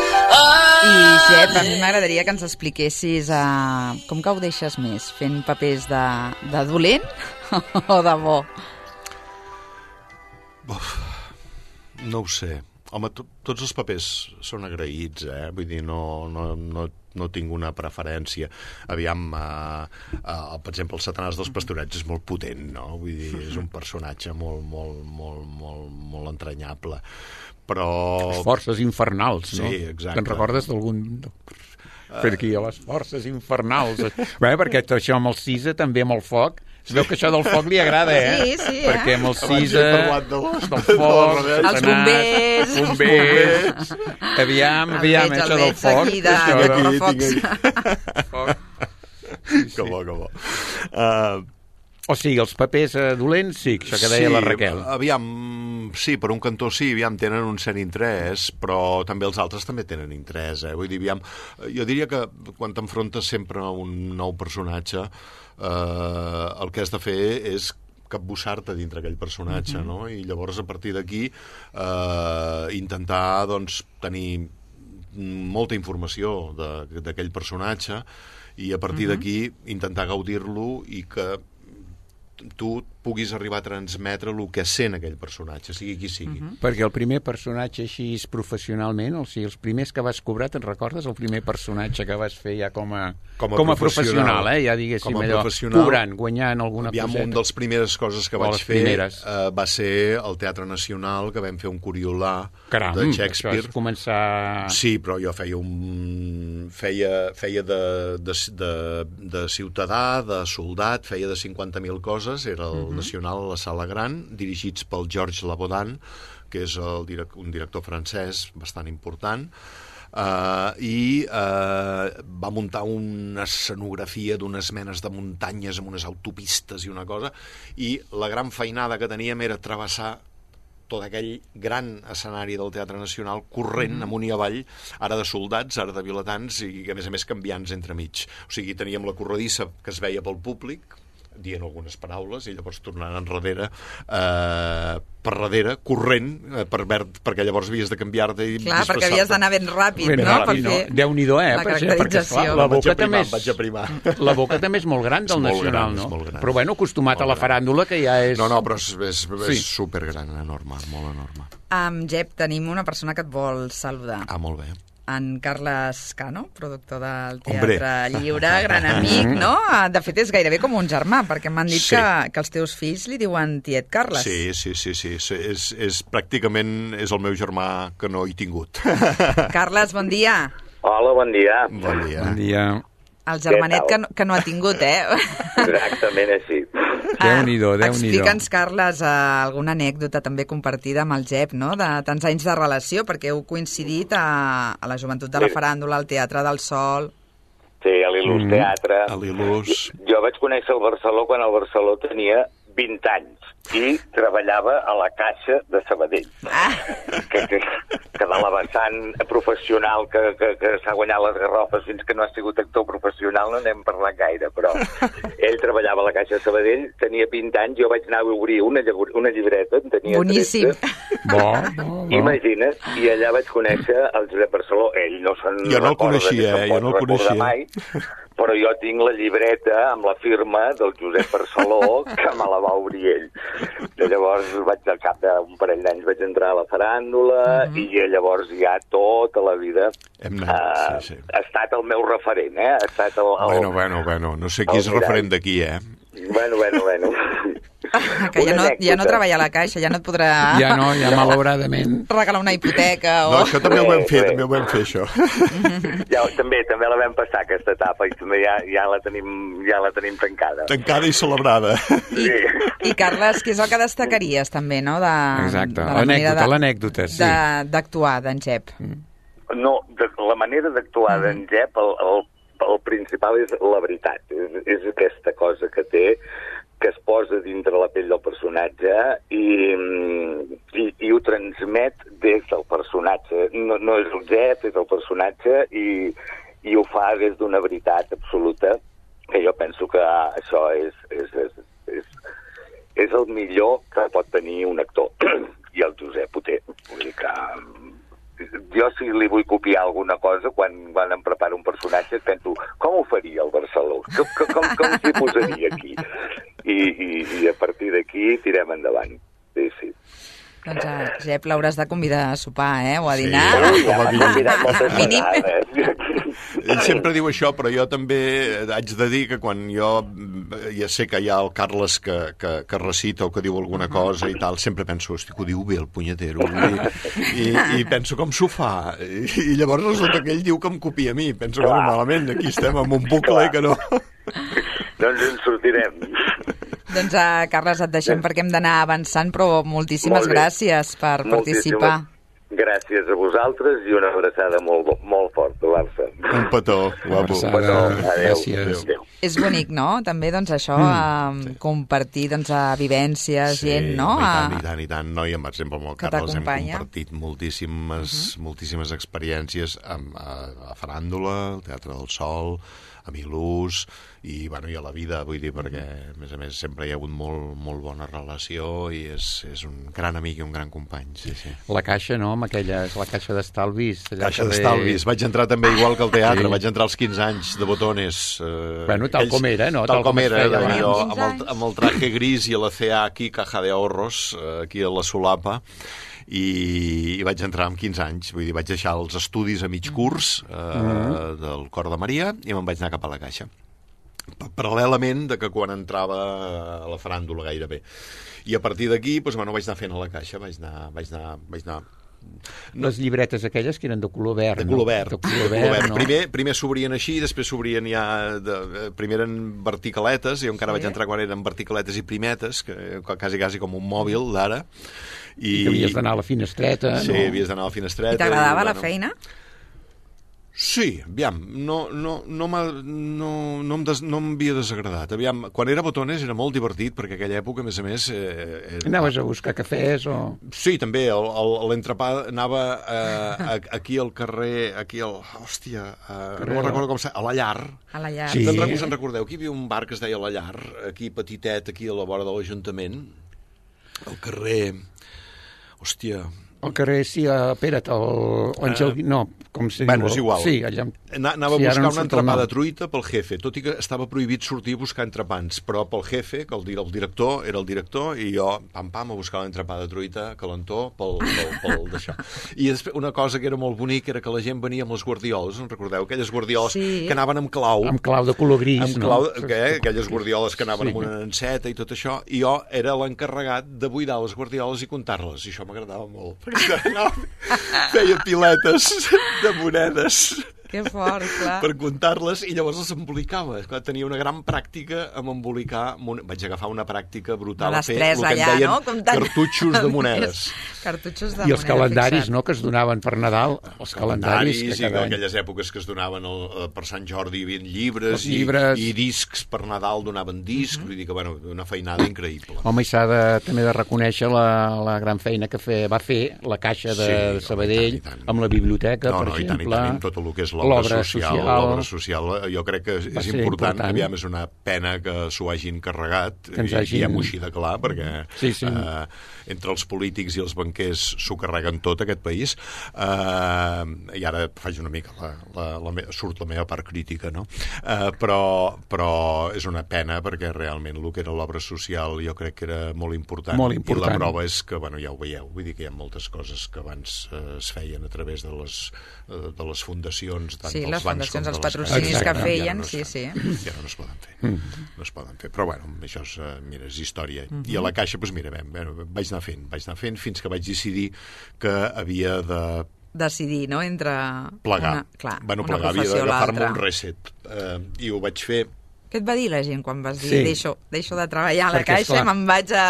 I, Jep, a mi m'agradaria que ens expliquessis uh, com que ho deixes més, fent papers de, de dolent o de bo? Uf, no ho sé. Home, to, tots els papers són agraïts, eh? Vull dir, no, no, no, no tinc una preferència. Aviam, eh, eh, per exemple, el Satanàs dels Pastorets és molt potent, no? Vull dir, és un personatge molt, molt, molt, molt, molt entranyable. Però... Les forces infernals, no? Sí, exacte. Te'n recordes d'algun... Per aquí, a les forces infernals. Bé, perquè això amb el Cisa, també amb el foc, es veu que això del foc li agrada, eh? Sí, sí, eh? Perquè amb el Cisa, de del foc, els bombers, els bombers, aviam, aviam, veig, això del veig foc. aquí de, això de del- correfocs. foc. Que bo, que bo. Uh, O sigui, els papers eh, dolents, sí, això que deia sí, la Raquel. Aviam, sí, per un cantó sí, aviam, tenen un cert interès, però també els altres també tenen interès, eh? Vull dir, aviam, jo diria que quan t'enfrontes sempre a un nou personatge, eh, el que has de fer és capbussar-te dintre aquell personatge, mm-hmm. no? I llavors, a partir d'aquí, eh, intentar, doncs, tenir molta informació d'aquell personatge i a partir mm-hmm. d'aquí intentar gaudir-lo i que tu puguis arribar a transmetre el que sent aquell personatge, sigui qui sigui. Uh-huh. Perquè el primer personatge així professionalment, o sigui, els primers que vas cobrar, te'n recordes? El primer personatge que vas fer ja com a, com a, com a professional, professional, eh? Ja diguéssim com a allò, professional, cobrant, guanyant alguna aviam, coseta. un dels primeres coses que O vaig les fer primeres. eh, va ser al Teatre Nacional, que vam fer un Coriolà Caram, de això Shakespeare. és començar... Sí, però jo feia un... feia, feia de, de, de, de ciutadà, de soldat, feia de cinquanta mil coses, era el uh-huh. Nacional a la Sala Gran, dirigits pel Georges Labodan, que és el, un director francès bastant important, Uh, i uh, va muntar una escenografia d'unes menes de muntanyes amb unes autopistes i una cosa, i la gran feinada que teníem era travessar tot aquell gran escenari del Teatre Nacional corrent mm-hmm. amunt i avall, ara de soldats, ara de vilatans i a més a més canviants entremig. O sigui, teníem la corredissa que es veia pel públic dient algunes paraules i llavors tornant enrere eh, per darrere, corrent eh, per verd, perquè llavors havies de canviar-te i clar, perquè havies d'anar ben ràpid, ben no? Ràpid, per fer no? Déu-n'hi-do, eh? la Perquè, caracterització. perquè, la boca també és... Vaig aprimar. La boca també és molt gran del És molt Nacional, gran, no? és molt gran. Però bueno, acostumat Molt a la gran. faràndula, que ja és... No, no, però és, és, és Sí. supergran, enorme, molt enorme. Um, Jep, tenim una persona que et vol saludar. Ah, molt bé. En Carles Cano, productor del Hombre. Teatre Lliure, gran amic, no? De fet, és gairebé com un germà, perquè m'han dit Sí. que, que els teus fills li diuen tiet Carles. Sí, sí, sí, sí, sí. És, és pràcticament és el meu germà que no he tingut. Carles, bon dia. Hola, bon dia. Bon dia. Bon dia. El germanet Què que, tal? no- que no ha tingut, eh? Exactament així. Déu-n'hi-do, Déu-n'hi-do. Explica'ns, Carles, eh, alguna anècdota també compartida amb el Jep, no?, de tants anys de relació, perquè heu coincidit a, a la joventut de la Sí. faràndula, al Teatre del Sol... Sí, a l'Il·lus Mm. Teatre. A l'Il·lus. Jo vaig conèixer el Barceló quan el Barceló tenia vint anys i treballava a la Caixa de Sabadell. Ah. Que, que, que de la vessant professional que, que, que s'ha guanyat les garrofes fins que no ha sigut actor professional no n'hem parlat gaire, però ell treballava a la Caixa de Sabadell, tenia vint anys, jo vaig anar a obrir una, llibre- una llibreta, en tenia Boníssim. tretze. Bo, bo, bo. Imagina't, i allà vaig conèixer el Josep Barceló. Ell no se'n Jo no el recorda, coneixia, ni se'n eh? Jo pot no el recordar coneixia. Mai, però jo tinc la llibreta amb la firma del Josep Barceló que me la va obrir ell. I llavors vaig al cap d'un parell d'anys vaig entrar a la faràndula Mhm. i llavors ja tota la vida Hem anat, sí, sí. ha estat el meu referent, eh? Ha estat el, el... Bueno, bueno, bueno, no sé qui el és mirall. referent d'aquí, eh? Bueno, bueno, bueno. Que ja Una no, ja no anècdota. treballa a la Caixa, ja no et podrà Ja no, ja malauradament. regalar una hipoteca o... No, això també ho vam fer, Bé, bé. també ho vam fer, això. Ja, també també la vam passar, aquesta etapa, i també ja, ja, la, tenim, ja la tenim tancada. Tancada i celebrada. I, I Carles, què és el que destacaries també, no? De, Exacte, de la manera l'anècdota, de- l'anècdota, sí. de- d'actuar d'en Jep. No, de, la manera d'actuar Mm. d'en Jep, el, el, el principal és la veritat. És, és aquesta cosa que té, que es posa dintre la pell del personatge i, i, i ho transmet des del personatge. No, no és el Jep, és el personatge i, i ho fa des d'una veritat absoluta, que jo penso que això és, és, és, és, és el millor que pot tenir un actor. I el Josep ho té. Vull dir que jo si li vull copiar alguna cosa, quan, quan em preparo un personatge, penso, com ho faria el Barceló? Com, com, com s'hi posaria aquí? I, i, i a partir d'aquí tirem endavant. Sí, sí. Doncs a Jep l'hauràs de convidar a sopar, eh? O a Sí. dinar. Ui, com ja a m'ha mínim. convidat moltes Mínim. vegades. Ell sempre diu això, però jo també haig de dir que quan jo ja sé que hi ha el Carles que, que, que recita o que diu alguna cosa i tal, sempre penso, hosti, que ho diu bé el punyetero. I, i, i penso, com s'ho fa? I, I llavors resulta que ell diu que em copia a mi. Penso, bueno, malament, aquí estem amb un bucle que no... Doncs ens sortirem. Doncs, uh, Carles, et deixem perquè hem d'anar avançant, però moltíssimes Molt bé. gràcies per participar. Moltíssimes gràcies a vosaltres i una abraçada molt, molt forta, Barça. Un petó, guapo. Abraçada. Adéu. Gràcies. Adéu. És bonic, no? També, doncs, això, mm, sí. compartir, doncs, a vivències, Sí, gent, no? home, i tant, A- i tant, i tant. No, i amb, per exemple, amb el que Carles hem t'acompanya. compartit moltíssimes, uh -huh. moltíssimes experiències amb, a, a Faràndula, al Teatre del Sol, a Milús, i, bueno, i a la vida, vull dir, perquè, a més a més, sempre hi ha hagut molt, molt bona relació i és, és un gran amic i un gran company, sí, sí. La caixa, no? Amb aquella, és la caixa d'estalvis. allà Caixa al carrer- d'estalvis. Vaig entrar també igual que al teatre, Sí. vaig entrar als quinze anys de botones. Eh, Bueno, tal com era, no? Tal, Tal com com es era, feia de allò, abans. amb, el, amb el traje gris i la C A aquí, caja de ahorros, eh, aquí a la solapa, i, i vaig entrar amb quinze anys, vull dir, vaig deixar els estudis a mig curs eh, mm. del Cor de Maria i me'n vaig anar cap a la Caixa. Paral·lelament de que quan entrava a la faràndula gairebé. I a partir d'aquí, doncs, bueno, vaig anar fent a la Caixa, vaig anar... Vaig anar, vaig anar Les llibretes aquelles que eren de color verd, de color verd. No? De color De color verd, verd. no? Primer, primer s'obrien així, després s'obrien ja... De, primer eren verticaletes, jo encara sí. vaig entrar quan eren verticaletes i primetes, que quasi, quasi com un mòbil d'ara. I que havies d'anar a la finestreta, Sí, no? havies d'anar a la finestreta. I t'agradava i, la bueno, feina? Sí, aviam, no, no, no, m'ha- no, no, em des, no m'havia desagradat. Aviam, quan era Botones era molt divertit, perquè aquella època, a més a més... Eh, era... Anaves a buscar cafès o... Sí, també, el- el- l'entrepà anava eh, aquí al carrer, aquí al... Hòstia, eh, no me'n recordo com s'ha... A la Llar. A la llar. Sí. Te'n rec- us en recordeu? Aquí hi havia un bar que es deia La Llar, aquí petitet, aquí a la vora de l'Ajuntament, al carrer... Hòstia... Al carrer, sí, a Pera't, el... Àngel... No, com se Bueno, diu? és igual. Sí, allà... Ana- Anava Sí, a ara buscar no em una surt el entrepà nom. de truita pel jefe, tot i que estava prohibit sortir a buscar entrepans, però pel jefe, que el, di- el director era el director, i jo, pam, pam, a buscar l'entrepà de truita, calentó, pel, pel, pel d'això. I després, una cosa que era molt bonic era que la gent venia amb les guardioles, en recordeu? Aquelles guardioles Sí. que anaven amb clau. Amb clau de color gris, amb no? clau, que, eh, aquelles guardioles que anaven Sí. amb una enceta i tot això, i jo era l'encarregat de buidar les guardioles i comptar-les, i això m'agradava molt, perquè anava, feia piletes de monedes Que fort, clar. per comptar-les i llavors les embolicava. Clar, tenia una gran pràctica amb embolicar... Mon... Vaig agafar una pràctica brutal La a fer destresa el que en allà, deien no? Comptant cartutxos de monedes. Cartutxos de I els moneda, calendaris, fixa't. no?, que es donaven per Nadal. Els calendaris, i que cada any... aquelles èpoques que es donaven el, eh, per Sant Jordi hi havia llibres, Els llibres. I, i discs per Nadal donaven discs, Mhm. vull dir que, bueno, una feinada increïble. Home, i s'ha de, també de reconèixer la, la gran feina que fe, va fer la Caixa de, Sí, de home, Sabadell, i tant, i tant. amb la biblioteca, No, per no, i tant, exemple. i tant, i amb tot el que és l'obra l'obra social, l'obra social, eh, jo crec que és Va ser important, important. aviam, és una pena que s'ho hagin carregat, Que ens i hagin- diguem-ho així de clar, perquè Sí, sí. Eh, entre els polítics i els banquers s'ho carreguen tot, aquest país, eh, i ara faig una mica, la, la, la, me- surt la meva part crítica, no? Eh, però, però és una pena, perquè realment el que era l'obra social jo crec que era molt important, Molt i important. la prova és que, bueno, ja ho veieu, vull dir que hi ha moltes coses que abans eh, es feien a través de les, eh, de les fundacions fundacions, tant sí, dels les bancs fundacions, com els de les patrocinis caixes. que Ja feien, no es sí, fan. sí. Ja no es poden fer. No es poden fer. Però, bueno, això és, eh, mira, és història. I a la Caixa, doncs mira, bé, vaig anar fent, vaig anar fent fins que vaig decidir que havia de decidir, no?, entre plegar. una, clar, bueno, una plegar, havia professió o d'agafar-me l'altra. un reset. Eh, I ho vaig fer. Què et va dir la gent quan vas dir Sí. deixo, deixo de treballar a la Perquè, Caixa esclar, i me'n vaig a,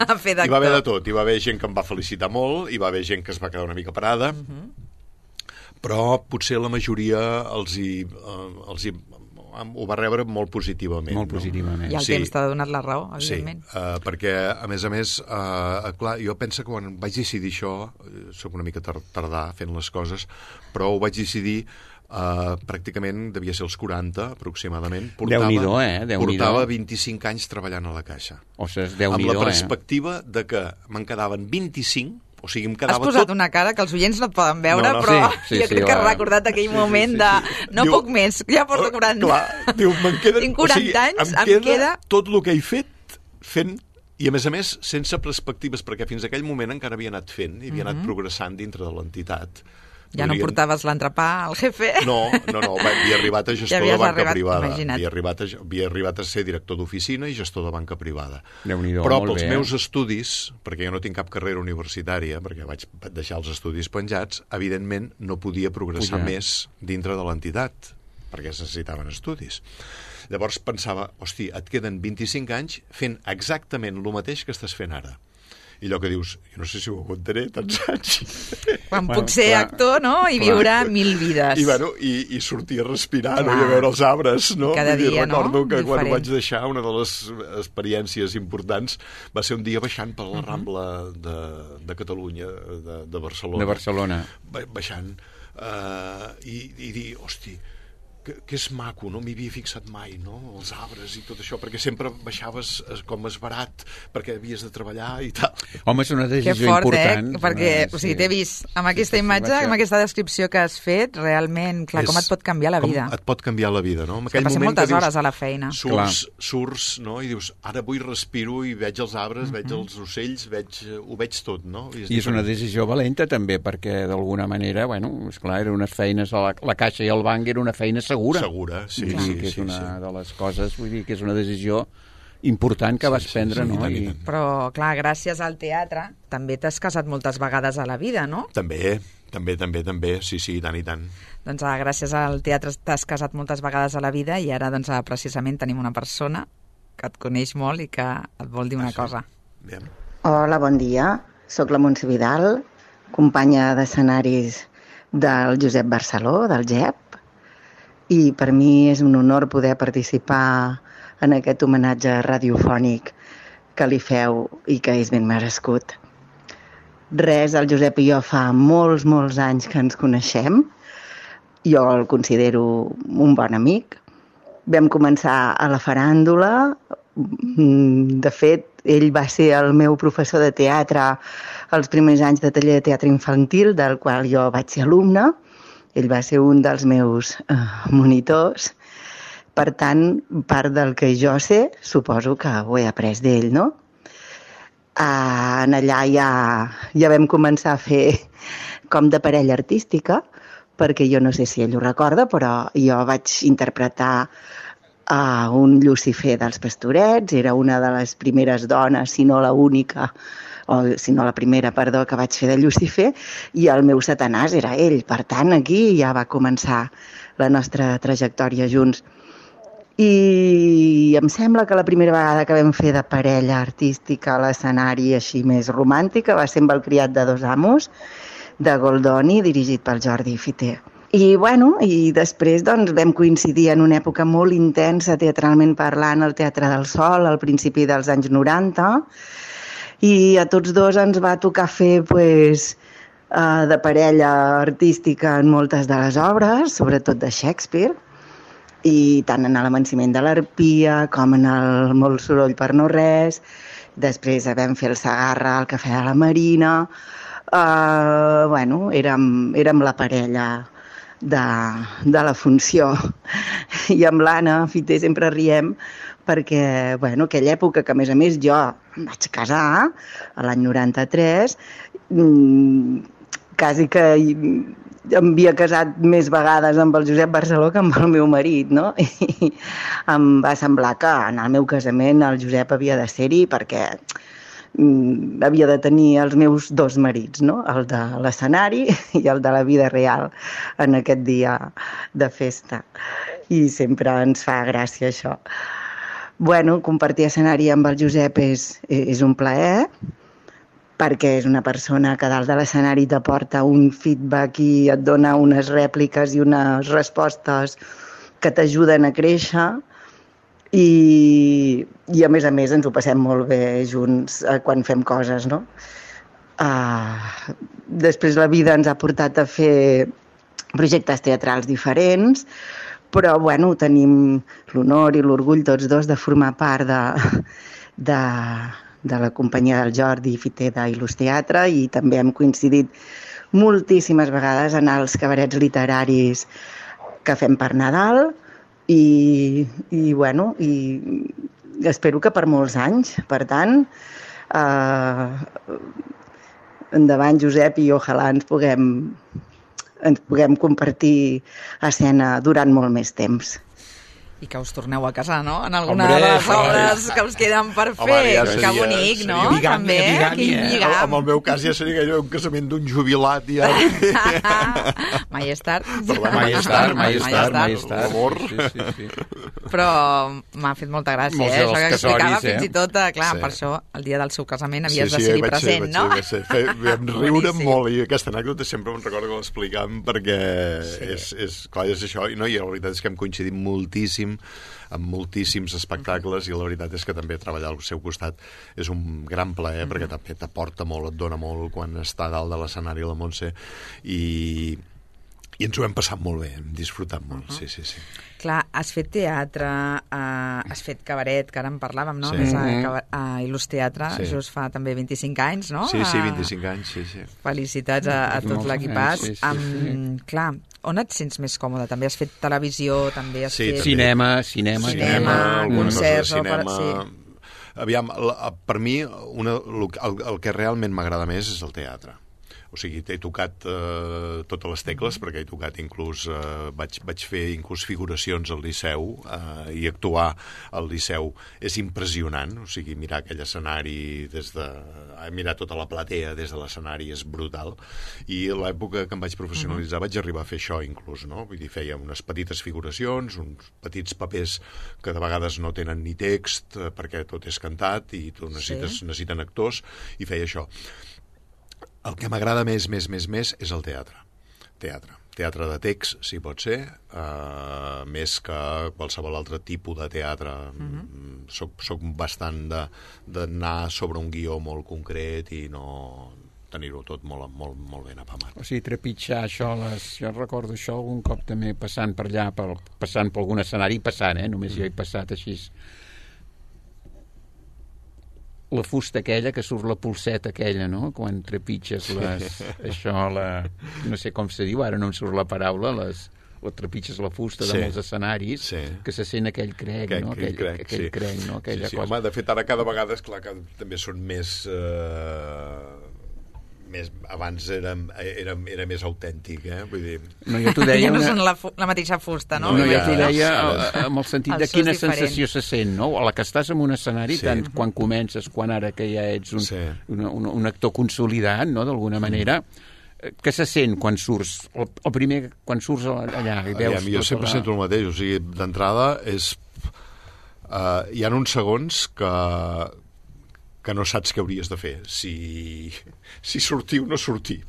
a fer d'actor? Hi va haver de tot. Hi va haver gent que em va felicitar molt, hi va haver gent que es va quedar una mica parada, uh -huh. però potser la majoria els hi, eh, els hi ho va rebre molt positivament. Molt positivament. I el Sí. temps t'ha donat la raó, evidentment. Sí, uh, perquè, a més a més, uh, clar, jo penso que quan vaig decidir això, soc una mica tar tardà fent les coses, però ho vaig decidir Uh, pràcticament devia ser els quaranta, aproximadament. Portava, Déu-n'hi-do, eh? Déu-n'hi-do. Portava vint-i-cinc anys treballant a la Caixa. Ostres, Amb Déu-n'hi-do, la eh? perspectiva de que me'n quedaven vint-i-cinc, o sigui, em Has quedava posat tot... una cara que els oients no et poden veure, No, no, però sí, sí, jo sí, crec que has va. recordat aquell Sí, sí, moment sí, de sí. no Diu- puc més, ja porto quaranta. Clar, diu, me'n queden... Tinc quaranta anys, em em queda, queda- tot el que he fet fent, i a més a més sense perspectives, perquè fins a aquell moment encara havia anat fent i havia anat progressant dintre de l'entitat. Ja no Podrien- portaves l'entrepà al jefe. No, no, no, va- havia arribat a gestor Ja de havies banca arribat, privada. imagina't. Havia arribat, a, havia arribat a ser director d'oficina i gestor de banca privada. Déu-n'hi-do, Però molt pels bé, meus eh? estudis, perquè jo no tinc cap carrera universitària, perquè vaig deixar els estudis penjats, evidentment no podia progressar Pujar. més dintre de l'entitat, perquè es necessitaven estudis. Llavors pensava, hosti, et queden vint-i-cinc anys fent exactament el mateix que estàs fent ara. I allò que dius, jo no sé si ho aguantaré tants anys. Quan Bueno, puc ser clar, actor, no?, i clar. viure mil vides. I, bueno, i, i sortir a respirar, no? Clar. I a veure els arbres, no? I cada Vull dir, dia, no? recordo que quan Diferent. ho vaig deixar, una de les experiències importants va ser un dia baixant per la Rambla de, de Catalunya, de, de Barcelona. De Barcelona. Ba baixant, uh, i, i dir, hosti, que, que és maco, no m'hi havia fixat mai, no? Els arbres i tot això, perquè sempre baixaves eh, com esbarat, perquè havies de treballar i tal. Home, és una Que decisió fort, important. eh? Perquè, Eh, o sigui, sí. t'he vist amb aquesta sí, sí, imatge, vaig a- amb aquesta descripció que has fet, realment, clar, com És- et pot canviar la com vida. Et pot canviar la vida, no? En Que passem moment moltes que dius, hores a la feina. Surts, surts, no? I dius, ara vull respiro i veig els arbres, Mhm. veig els ocells, veig, eh, ho veig tot, no? I és, I és una diferent. decisió valenta també, perquè d'alguna manera, bueno, esclar, eren unes feines a la, la Caixa i el banc era una feina segura. Segura, sí, Vull sí, dir que és sí, una sí. de les coses, vull dir que és una decisió important que Sí, vas sí, prendre, sí, i no? tant, i I, tant. Però, clar, gràcies al teatre també t'has casat moltes vegades a la vida, no? També, també, també, també, sí, sí, i tant, i tant. Doncs ah, gràcies al teatre t'has casat moltes vegades a la vida i ara doncs, ah, precisament tenim una persona que et coneix molt i que et vol dir una Ah, sí? cosa. Bé. Hola, bon dia. Soc la Montse Vidal, companya d'escenaris del Josep Barceló, del G E P, i per mi és un honor poder participar en aquest homenatge radiofònic que li feu i que és ben merescut. Res, el Josep i jo fa molts, molts anys que ens coneixem. Jo el considero un bon amic. Vam començar a la faràndula. De fet, ell va ser el meu professor de teatre els primers anys de taller de teatre infantil, del qual jo vaig ser alumne. Ell va ser un dels meus eh, monitors. Per tant, part del que jo sé, suposo que ho he après d'ell, no? Uh, en allà ja, ja vam començar a fer com de parella artística, perquè jo no sé si ell ho recorda, però jo vaig interpretar uh, un Llucifer dels Pastorets, era una de les primeres dones, si no la única, o si no la primera, perdó, que vaig fer de Llucifer, i el meu Satanàs era ell. Per tant, aquí ja va començar la nostra trajectòria junts. I em sembla que la primera vegada que vam fer de parella artística a l'escenari així més romàntica va ser amb El criat de dos amos, de Goldoni, dirigit pel Jordi Fiter. I, bueno, i després doncs, vam coincidir en una època molt intensa, teatralment parlant, al Teatre del Sol, al principi dels anys noranta, i a tots dos ens va tocar fer pues, uh, de parella artística en moltes de les obres, sobretot de Shakespeare, i tant en l'Amanciment de l'Arpia com en el Molt soroll per no res. Després vam fer el Segarra al Cafè de la Marina. Uh, bueno, érem, érem la parella de, de la funció. I amb l'Anna Fiter sempre riem perquè, bueno, aquella època que a més a més jo em vaig casar, a l'any noranta-tres, mmm, quasi que em havia casat més vegades amb el Josep Barceló que amb el meu marit, no? I em va semblar que en el meu casament el Josep havia de ser-hi perquè havia de tenir els meus dos marits, no? El de l'escenari i el de la vida real en aquest dia de festa. I sempre ens fa gràcia això. Bueno, compartir escenari amb el Josep és, és un plaer, perquè és una persona que dalt de l'escenari t'aporta un feedback i et dona unes rèpliques i unes respostes que t'ajuden a créixer. I, i a més a més ens ho passem molt bé junts eh, quan fem coses, no? Uh, després la vida ens ha portat a fer projectes teatrals diferents, però bueno, tenim l'honor i l'orgull tots dos de formar part de, de, de la companyia del Jordi Fiteda i l'Ús Teatre, i també hem coincidit moltíssimes vegades en els cabarets literaris que fem per Nadal. I, i bueno, i espero que per molts anys. Per tant, eh, endavant Josep, i ojalà ens puguem, ens puguem compartir escena durant molt més temps. I que us torneu a casar, no? En alguna Hombre, de les obres que us queden per fer. Home, ja seria, que bonic, no? seria bigàmia, També, bigàmia, quin eh? lligam. En el meu cas ja seria allò, un casament d'un jubilat ja. Mai és tard. Perdó, Mai és tard, mai és Mai és tard, mai tard. és tard. L'amor. Sí, sí, sí. Però m'ha fet molta gràcia, Molts eh? dels Això que casoris, explicava eh? fins i tot, eh, clar, Sí. per això el dia del seu casament havies Sí, de sí, ser-hi vaig present, ser, no? vaig ser, vaig ser. Vam riure Boníssim. molt, i aquesta anècdota sempre em recordo que l'explicàvem perquè Sí. és, és, clar, és això, i, no, i la veritat és que hem coincidit moltíssim amb moltíssims espectacles, i la veritat és que també treballar al seu costat és un gran plaer, mm-hmm. perquè també t'aporta molt, et dona molt quan està dalt de l'escenari la Montse, i, i ens ho hem passat molt bé, hem disfrutat molt, uh-huh. sí, sí, sí. Clar, has fet teatre, uh, has fet cabaret, que ara en parlàvem, no? Sí. A més, a, Mhm. a, a Il·lus Teatre, Sí. just fa també vint-i-cinc anys, no? Sí, sí, Ah, vint-i-cinc anys, sí, sí. Felicitats a, a tot Molts l'equipàs. anys, sí, sí, Amb, clar, on et sents més còmode? També has fet televisió, també has Sí, fet... també. Cinema, cinema. Cinema, alguna cosa de concerts, cinema. òpera, Aviam, la, per mi, una, el, el que realment m'agrada més és el teatre. O sigui, he tocat eh, totes les tecles, perquè he tocat inclús, eh, vaig, vaig fer inclús figuracions al Liceu, eh, i actuar al Liceu és impressionant. O sigui, mirar aquell escenari des de... mirar tota la platea des de l'escenari és brutal. I a l'època que em vaig professionalitzar vaig arribar a fer això inclús, no? Vull dir, feia unes petites figuracions, uns petits papers que de vegades no tenen ni text, eh, perquè tot és cantat i tu necessites, Sí. necessiten actors, i feia això. El que m'agrada més, més, més, més és el teatre. Teatre. Teatre de text, si pot ser, uh, més que qualsevol altre tipus de teatre. Uh-huh. Soc, soc bastant de, d'anar sobre un guió molt concret i no tenir-ho tot molt, molt, molt ben apamat. O sigui, trepitjar això, les... jo recordo això algun cop també passant per allà, per, passant per algun escenari, passant, eh? Només jo he passat així. La fusta aquella, que surt la pulseta aquella, no? Quan trepitges les... això, la... no sé com se diu, ara no em surt la paraula, les... o trepitges la fusta Sí. de molts escenaris, Sí. que se sent aquell crec, Aquell- no? Aquell, aquell crec, aquell sí. crec, no? Aquella Sí, sí. cosa. Home, de fet, ara cada vegada, és clar que també són més... Eh, més abans era, era, era més autèntic, eh? Vull dir... No, jo t'ho Ja deia... no una... són la, fu- la mateixa fusta, no? No, no, jo ja- t'ho deia ja- eh, amb el sentit El de so és quina diferent. sensació se sent, no? A la que estàs en un escenari, Sí. tant quan comences, quan ara que ja ets un, Sí. un, un, un actor consolidat, no?, d'alguna manera, eh, què se sent quan surts? El, el primer, quan surts allà i veus... Aviam, jo tota sempre la- sento el mateix, o sigui, d'entrada és... Uh, hi ha uns segons que, que no saps què hauries de fer, si, si sortir o no sortir.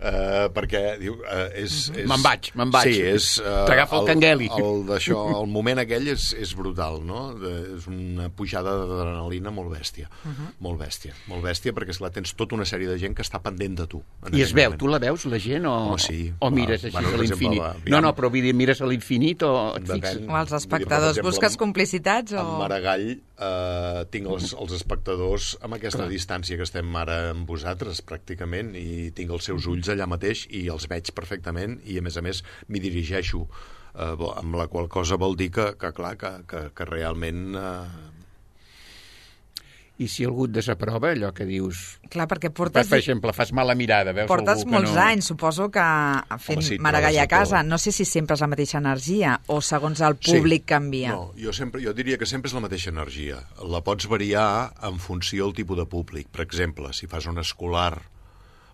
Uh, perquè, diu, uh, és, és... Me'n vaig, me'n vaig. Sí, és... Uh, T'agafa el cangueli. El, d'això, el moment aquell és, és brutal, no? De, és una pujada d'adrenalina molt bèstia. Uh -huh. Molt bèstia. Molt bèstia, perquè, esclar, tens tota una sèrie de gent que està pendent de tu. I es veu, tu la veus, la gent, o, Oh, sí. o mires així Bueno, a per exemple, l'infinit? va, No, no, però vull dir, mires a l'infinit o et Depèn. fixes... O els espectadors, Vull dir, per busques exemple, complicitats o... En Maragall eh, tinc els, els espectadors amb aquesta Clar. distància que estem ara amb vosaltres, pràcticament, i tinc els seus ulls allà mateix i els veig perfectament, i a més a més m'hi dirigeixo, eh, amb la qual cosa vol dir que, que clar, que, que, que realment... Eh... I si algú et desaprova, allò que dius... Clar, perquè portes... Per exemple, fas mala mirada, veus portes algú que molts no... anys, suposo que fent Home, sí, Maragall a trobes de casa. tot. No sé si sempre és la mateixa energia o segons el públic Sí. canvia. No, jo, sempre, jo diria que sempre és la mateixa energia. La pots variar en funció del tipus de públic. Per exemple, si fas un escolar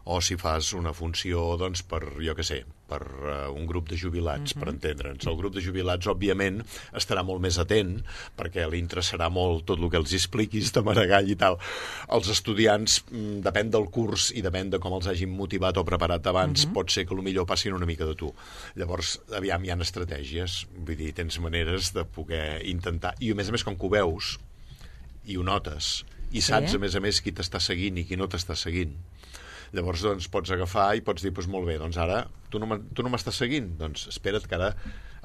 o si fas una funció, doncs, per, jo què sé, per uh, un grup de jubilats, uh-huh. per entendre'ns. El grup de jubilats, òbviament, estarà molt més atent, perquè li interessarà molt tot el que els expliquis de Maragall i tal. Els estudiants, mm, depèn del curs i depèn de com els hagin motivat o preparat abans, uh-huh. pot ser que potser passin una mica de tu. Llavors, aviam, hi ha estratègies, vull dir, tens maneres de poder intentar... I a més a més, com que ho veus i ho notes, i saps, sí. a més a més, qui t'està seguint i qui no t'està seguint, llavors doncs pots agafar i pots dir, doncs molt bé, doncs ara tu no, tu no m'estàs seguint, doncs espera't que ara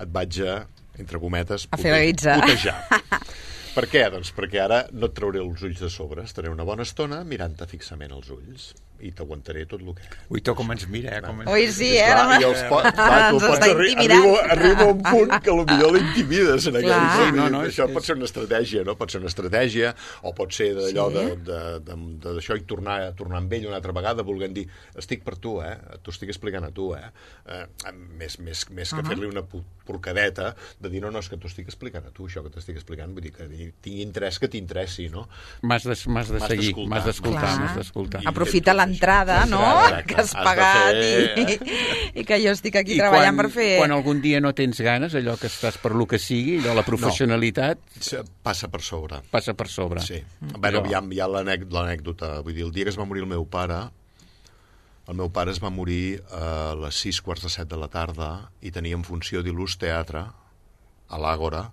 et vaig a, entre cometes, a fer la guitza. putejar. Per què? Doncs perquè ara no et trauré els ulls de sobre, estaré una bona estona mirant-te fixament els ulls i t'aguantaré tot el que... Ui, to com ens mira, eh? Com ens... Ui, sí, eh? Clar, i els pot, clar, tu Ens pots està arri intimidant. arriba, arriba a un punt que potser l'intimides en aquell Clar. punt. Sí, no, no, això és- pot ser una estratègia, no? Pot ser una estratègia, o pot ser d'allò Sí. de- de- de- de- d'això i tornar, tornar amb ell una altra vegada volent dir, estic per tu, eh? T'ho estic explicant a tu, eh? eh més, més, més que Uh-huh. fer-li una pu- porcadeta de dir, no, no, és que t'ho estic explicant a tu, això que t'estic explicant, vull dir que tingui interès que t'interessi, no? M'has de, m'has de M'has seguir, d'escoltar. m'has d'escoltar, Clar. m'has d'escoltar. I- Aprofita l'entrada, no? Exacte. Que has Has de pagat fer- i, i que jo estic aquí I treballant quan, per fer... quan algun dia no tens ganes, allò que estàs per lo que sigui, allò, la professionalitat, Se- Passa per sobre. passa per sobre. Sí. Mm. Bueno, Allò- hi ha, hi ha l'anèc- l'anècdota. Vull dir, el dia que es va morir el meu pare, el meu pare es va morir a les sis quarts de set de la tarda i teníem funció d'il·lus teatre a l'Àgora.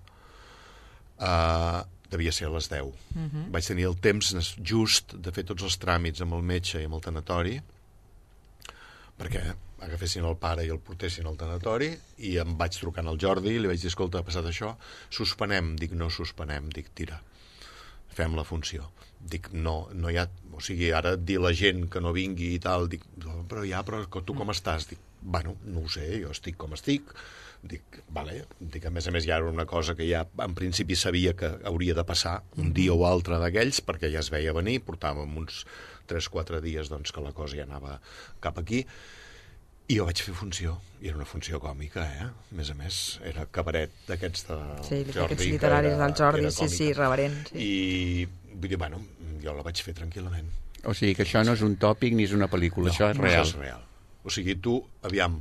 Uh, devia ser a les deu. Uh-huh. Vaig tenir el temps just de fer tots els tràmits amb el metge i amb el tanatori perquè agafessin el pare i el portessin al tanatori i em vaig trucant al Jordi i li vaig dir, escolta, ha passat això, suspenem. Dic, no suspenem, dic, tira, fem la funció. Dic, no, no hi ha... O sigui, ara dir la gent que no vingui i tal, dic, però ja, però tu com estàs? Dic, bueno, no ho sé, jo estic com estic. Dic, vale, dic, a més a més ja era una cosa que ja en principi sabia que hauria de passar un dia o altre d'aquells, perquè ja es veia venir, portàvem uns tres o quatre dies doncs, que la cosa ja anava cap aquí, i jo vaig fer funció, i era una funció còmica, eh? A més a més, era cabaret d'aquests de Sí, Jordi. aquests que literaris era- del Jordi, era sí, sí, còmica. reverent. Sí. I vull dir, bueno, jo la vaig fer tranquil·lament. O sigui que això no és un tòpic ni és una pel·lícula, això és real. Això és real. O sigui, tu, aviam...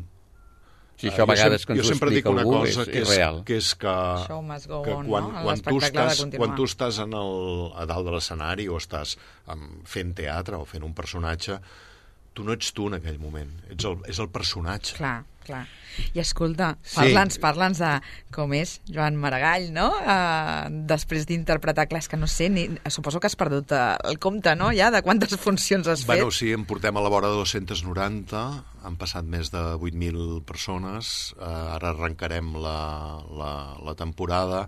Si això a jo vegades sem- que ens jo ho sempre dic explica una algú cosa és, que és és, real. que és que, Show must go que on, quan, no? quan, tu L'espectacle ha de estàs, continuar. quan tu estàs en el, a dalt de l'escenari o estàs um, fent teatre o fent un personatge, tu no ets tu en aquell moment, ets el, és el personatge. Clar, clar. I escolta, Sí. parla'ns, parla'ns de com és Joan Maragall, no? Uh, després d'interpretar, clar, és que no sé, ni, suposo que has perdut uh, el compte, no?, ja, de quantes funcions has Bueno, fet. sí, en portem a la vora de dos-cents noranta, han passat més de vuit mil persones, eh, ara arrencarem la, la, la temporada,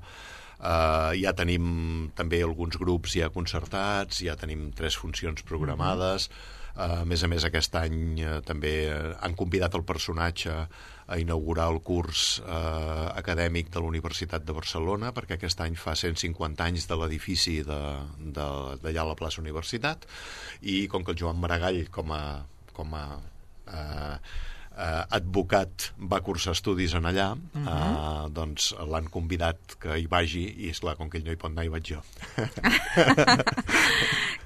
eh, ja tenim també alguns grups ja concertats, ja tenim tres funcions programades, uh-huh. Uh, a més a més, aquest any uh, també uh, han convidat el personatge a inaugurar el curs uh, acadèmic de la Universitat de Barcelona, perquè aquest any fa cent cinquanta anys de l'edifici d'allà a la plaça Universitat, i com que el Joan Maragall, com a, com a uh, uh, advocat, va cursar estudis en allà, uh-huh. uh, doncs l'han convidat que hi vagi, i esclar, com que ell no hi pot anar, hi vaig jo.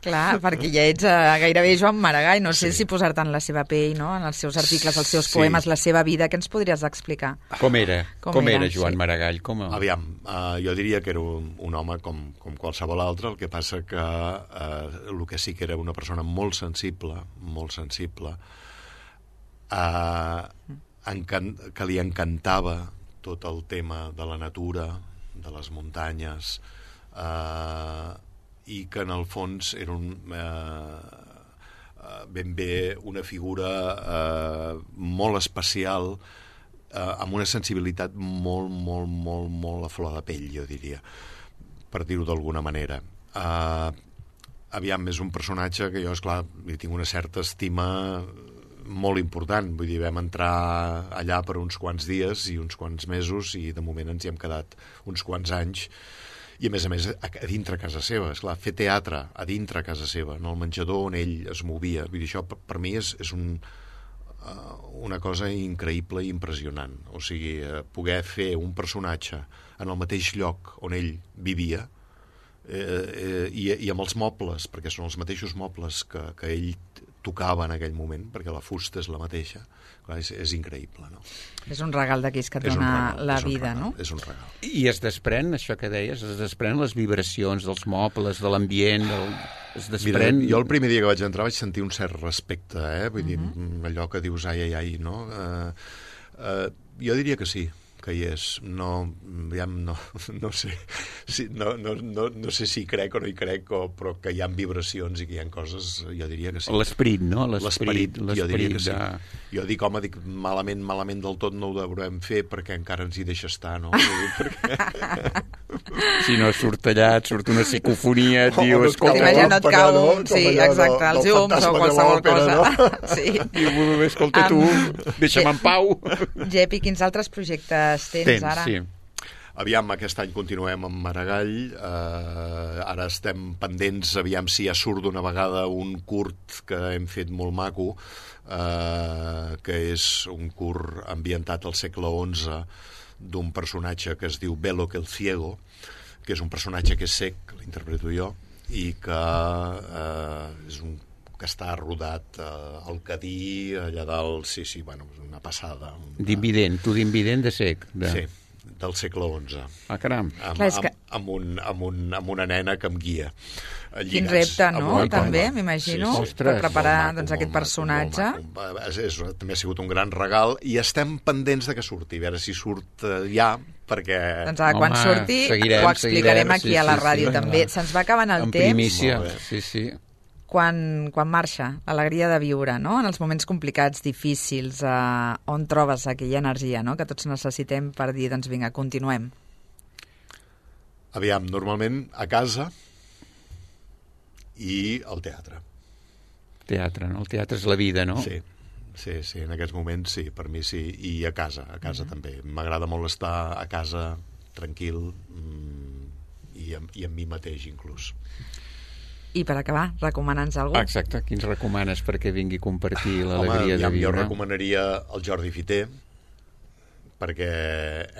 Clar, perquè ja ets uh, gairebé Joan Maragall, no sé Sí. si posar-te en la seva pell, no?, en els seus articles, els seus Sí. poemes, la seva vida, què ens podries explicar? Com era? Com Com, era, era Joan sí. Maragall? Com a... Aviam, uh, jo diria que era un, un home com, com qualsevol altre, el que passa que uh, el que sí que era una persona molt sensible, molt sensible, uh, encan que li encantava tot el tema de la natura, de les muntanyes, uh, i que en el fons era un... Eh, ben bé una figura eh, molt especial, eh, amb una sensibilitat molt, molt, molt, molt a flor de pell, jo diria, per dir-ho d'alguna manera. Eh, aviam, és un personatge que jo, esclar, li tinc una certa estima molt important. Vull dir, vam entrar allà per uns quants dies i uns quants mesos i de moment ens hi hem quedat uns quants anys. I, a més a més, a, a dintre casa seva. Esclar, fer teatre a dintre casa seva, en el menjador on ell es movia. Vull dir, això per, per mi és, és un, uh, una cosa increïble i impressionant. O sigui, uh, poder fer un personatge en el mateix lloc on ell vivia, eh, eh, i, i amb els mobles, perquè són els mateixos mobles que, que ell tocava en aquell moment, perquè la fusta és la mateixa. Clar, és, és increïble, no? És un regal d'aquells que et És un dona regal, la és un vida, regal, no? És un regal. I es desprèn, això que deies, es desprèn les vibracions dels mobles, de l'ambient, del... es desprèn... Mira, jo el primer dia que vaig entrar vaig sentir un cert respecte, eh? Vull dir, uh-huh. allò que dius ai, ai, ai, no? Uh, uh, jo diria que sí, que hi és. No, ja no, no sé si, no, no, no, no sé si hi crec o no hi crec, o, però que hi ha vibracions i que hi ha coses, jo diria que sí. L'esperit, no? L'esperit, jo diria que sí. De... Jo dic, home, dic, malament, malament del tot no ho deurem fer perquè encara ens hi deixa estar, no? perquè... Si no surt allà, et surt una psicofonia, et diu, no escolta... T'imagina, no et cau, no? sí, allò exacte, del- els del llums o fantasma de qualsevol l'òpera, cosa. no? Sí. Diu, escolta, tu, deixa'm en pau. Gepi, quins altres projectes tens, Tens, ara? Sí. Aviam, aquest any continuem amb Maragall, eh, ara estem pendents, aviam si ja surt d'una vegada un curt que hem fet molt maco, eh, que és un curt ambientat al segle onze d'un personatge que es diu Velo que el Ciego, que és un personatge que és cec, que l'interpreto jo, i que eh, és un que està rodat eh, al Cadí, allà dalt, sí, sí, bueno, és una passada. Una... D'invident, tu d'invident de sec. De... Sí, del segle onze. Ah, caram. Amb, Clar, és amb, que- amb, un, amb, un, amb una nena que em guia. eh, Quin lligats repte, amb no? una També, corda. m'imagino, Sí, sí. Ostres, per preparar Molt maco, doncs, molt aquest maco, personatge. molt maco. És, és, també ha sigut un gran regal i estem pendents de que surti, a veure si surt eh, ja, perquè... Doncs ara, quan Home, surti, seguirem, ho explicarem seguirem, aquí sí, a la sí, ràdio sí. també. Se'ns va acabant el En temps primícia, Molt bé. sí, sí. quan, quan marxa, l'alegria de viure, no? En els moments complicats, difícils, eh, on trobes aquella energia, no? Que tots necessitem per dir, doncs vinga, continuem. Aviam, normalment a casa i al teatre. Teatre, no? El teatre és la vida, no? Sí, sí, sí, en aquests moments sí, per mi sí, i a casa, a casa mm-hmm. també. M'agrada molt estar a casa, tranquil, mm, i, amb, i amb mi mateix, inclús. I per acabar, recomana'ns algú. Exacte, qui ens recomanes perquè vingui a compartir l'alegria Home, de ja, jo viure? recomanaria el Jordi Fiter, perquè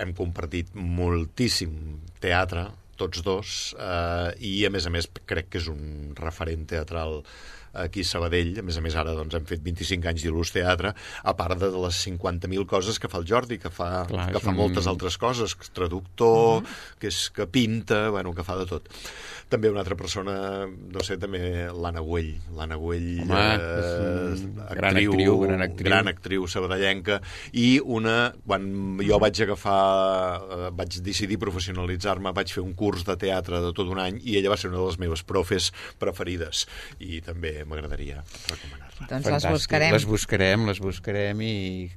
hem compartit moltíssim teatre, tots dos, eh, i a més a més crec que és un referent teatral aquí a Sabadell. A més a més ara doncs, hem fet vint-i-cinc anys d'Il·lus Teatre, a part de les cinquanta mil coses que fa el Jordi, que fa, Clar, que fa un... moltes altres coses, que és traductor, uh-huh. que, és, que pinta, bueno, que fa de tot. També una altra persona, no sé, també l'Anna Güell. L'Anna Güell, Home, eh, és gran actriu, gran actriu. gran actriu sabadellenca, i una, quan jo vaig agafar, eh, vaig decidir professionalitzar-me, vaig fer un curs de teatre de tot un any, i ella va ser una de les meves profes preferides, i també m'agradaria recomanar-la. Doncs Fantàstic. les buscarem. Les buscarem, les buscarem i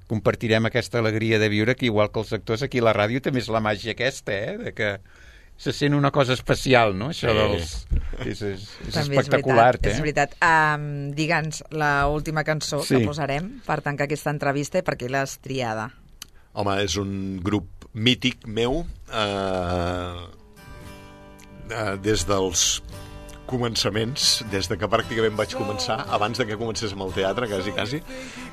compartirem aquesta alegria de viure, que igual que els actors aquí a la ràdio també és la màgia aquesta, eh? De que se sent una cosa especial, no? Això Sí. dels... És, és, és També espectacular, és veritat, eh? és veritat. Um, Digue'ns l'última cançó Sí. que posarem per tancar aquesta entrevista i per què l'has triada. Home, és un grup mític meu, eh, eh, des dels començaments, des de que pràcticament vaig començar, abans de que comencés amb el teatre, quasi, quasi,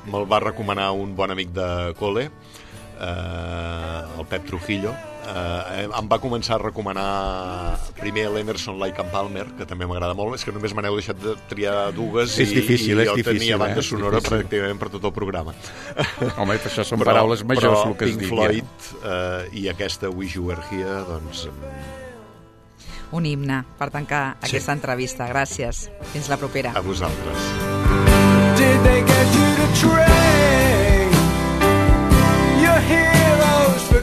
me'l va recomanar un bon amic de col·le, eh, el Pep Trujillo. Eh, em va començar a recomanar primer l'Emerson, Lake and Palmer, que també m'agrada molt. És que només me n'heu deixat de triar dues, És i, difícil, i és jo difícil, tenia banda eh? És sonora difícil. pràcticament per tot el programa. Home, això són paraules majors, però el que es Pink digui. Floyd eh, i aquesta Wish You Were Here, doncs... Un himne per tancar Sí. aquesta entrevista. Gràcies. Fins la propera. A vosaltres. Did they get you to train your heroes for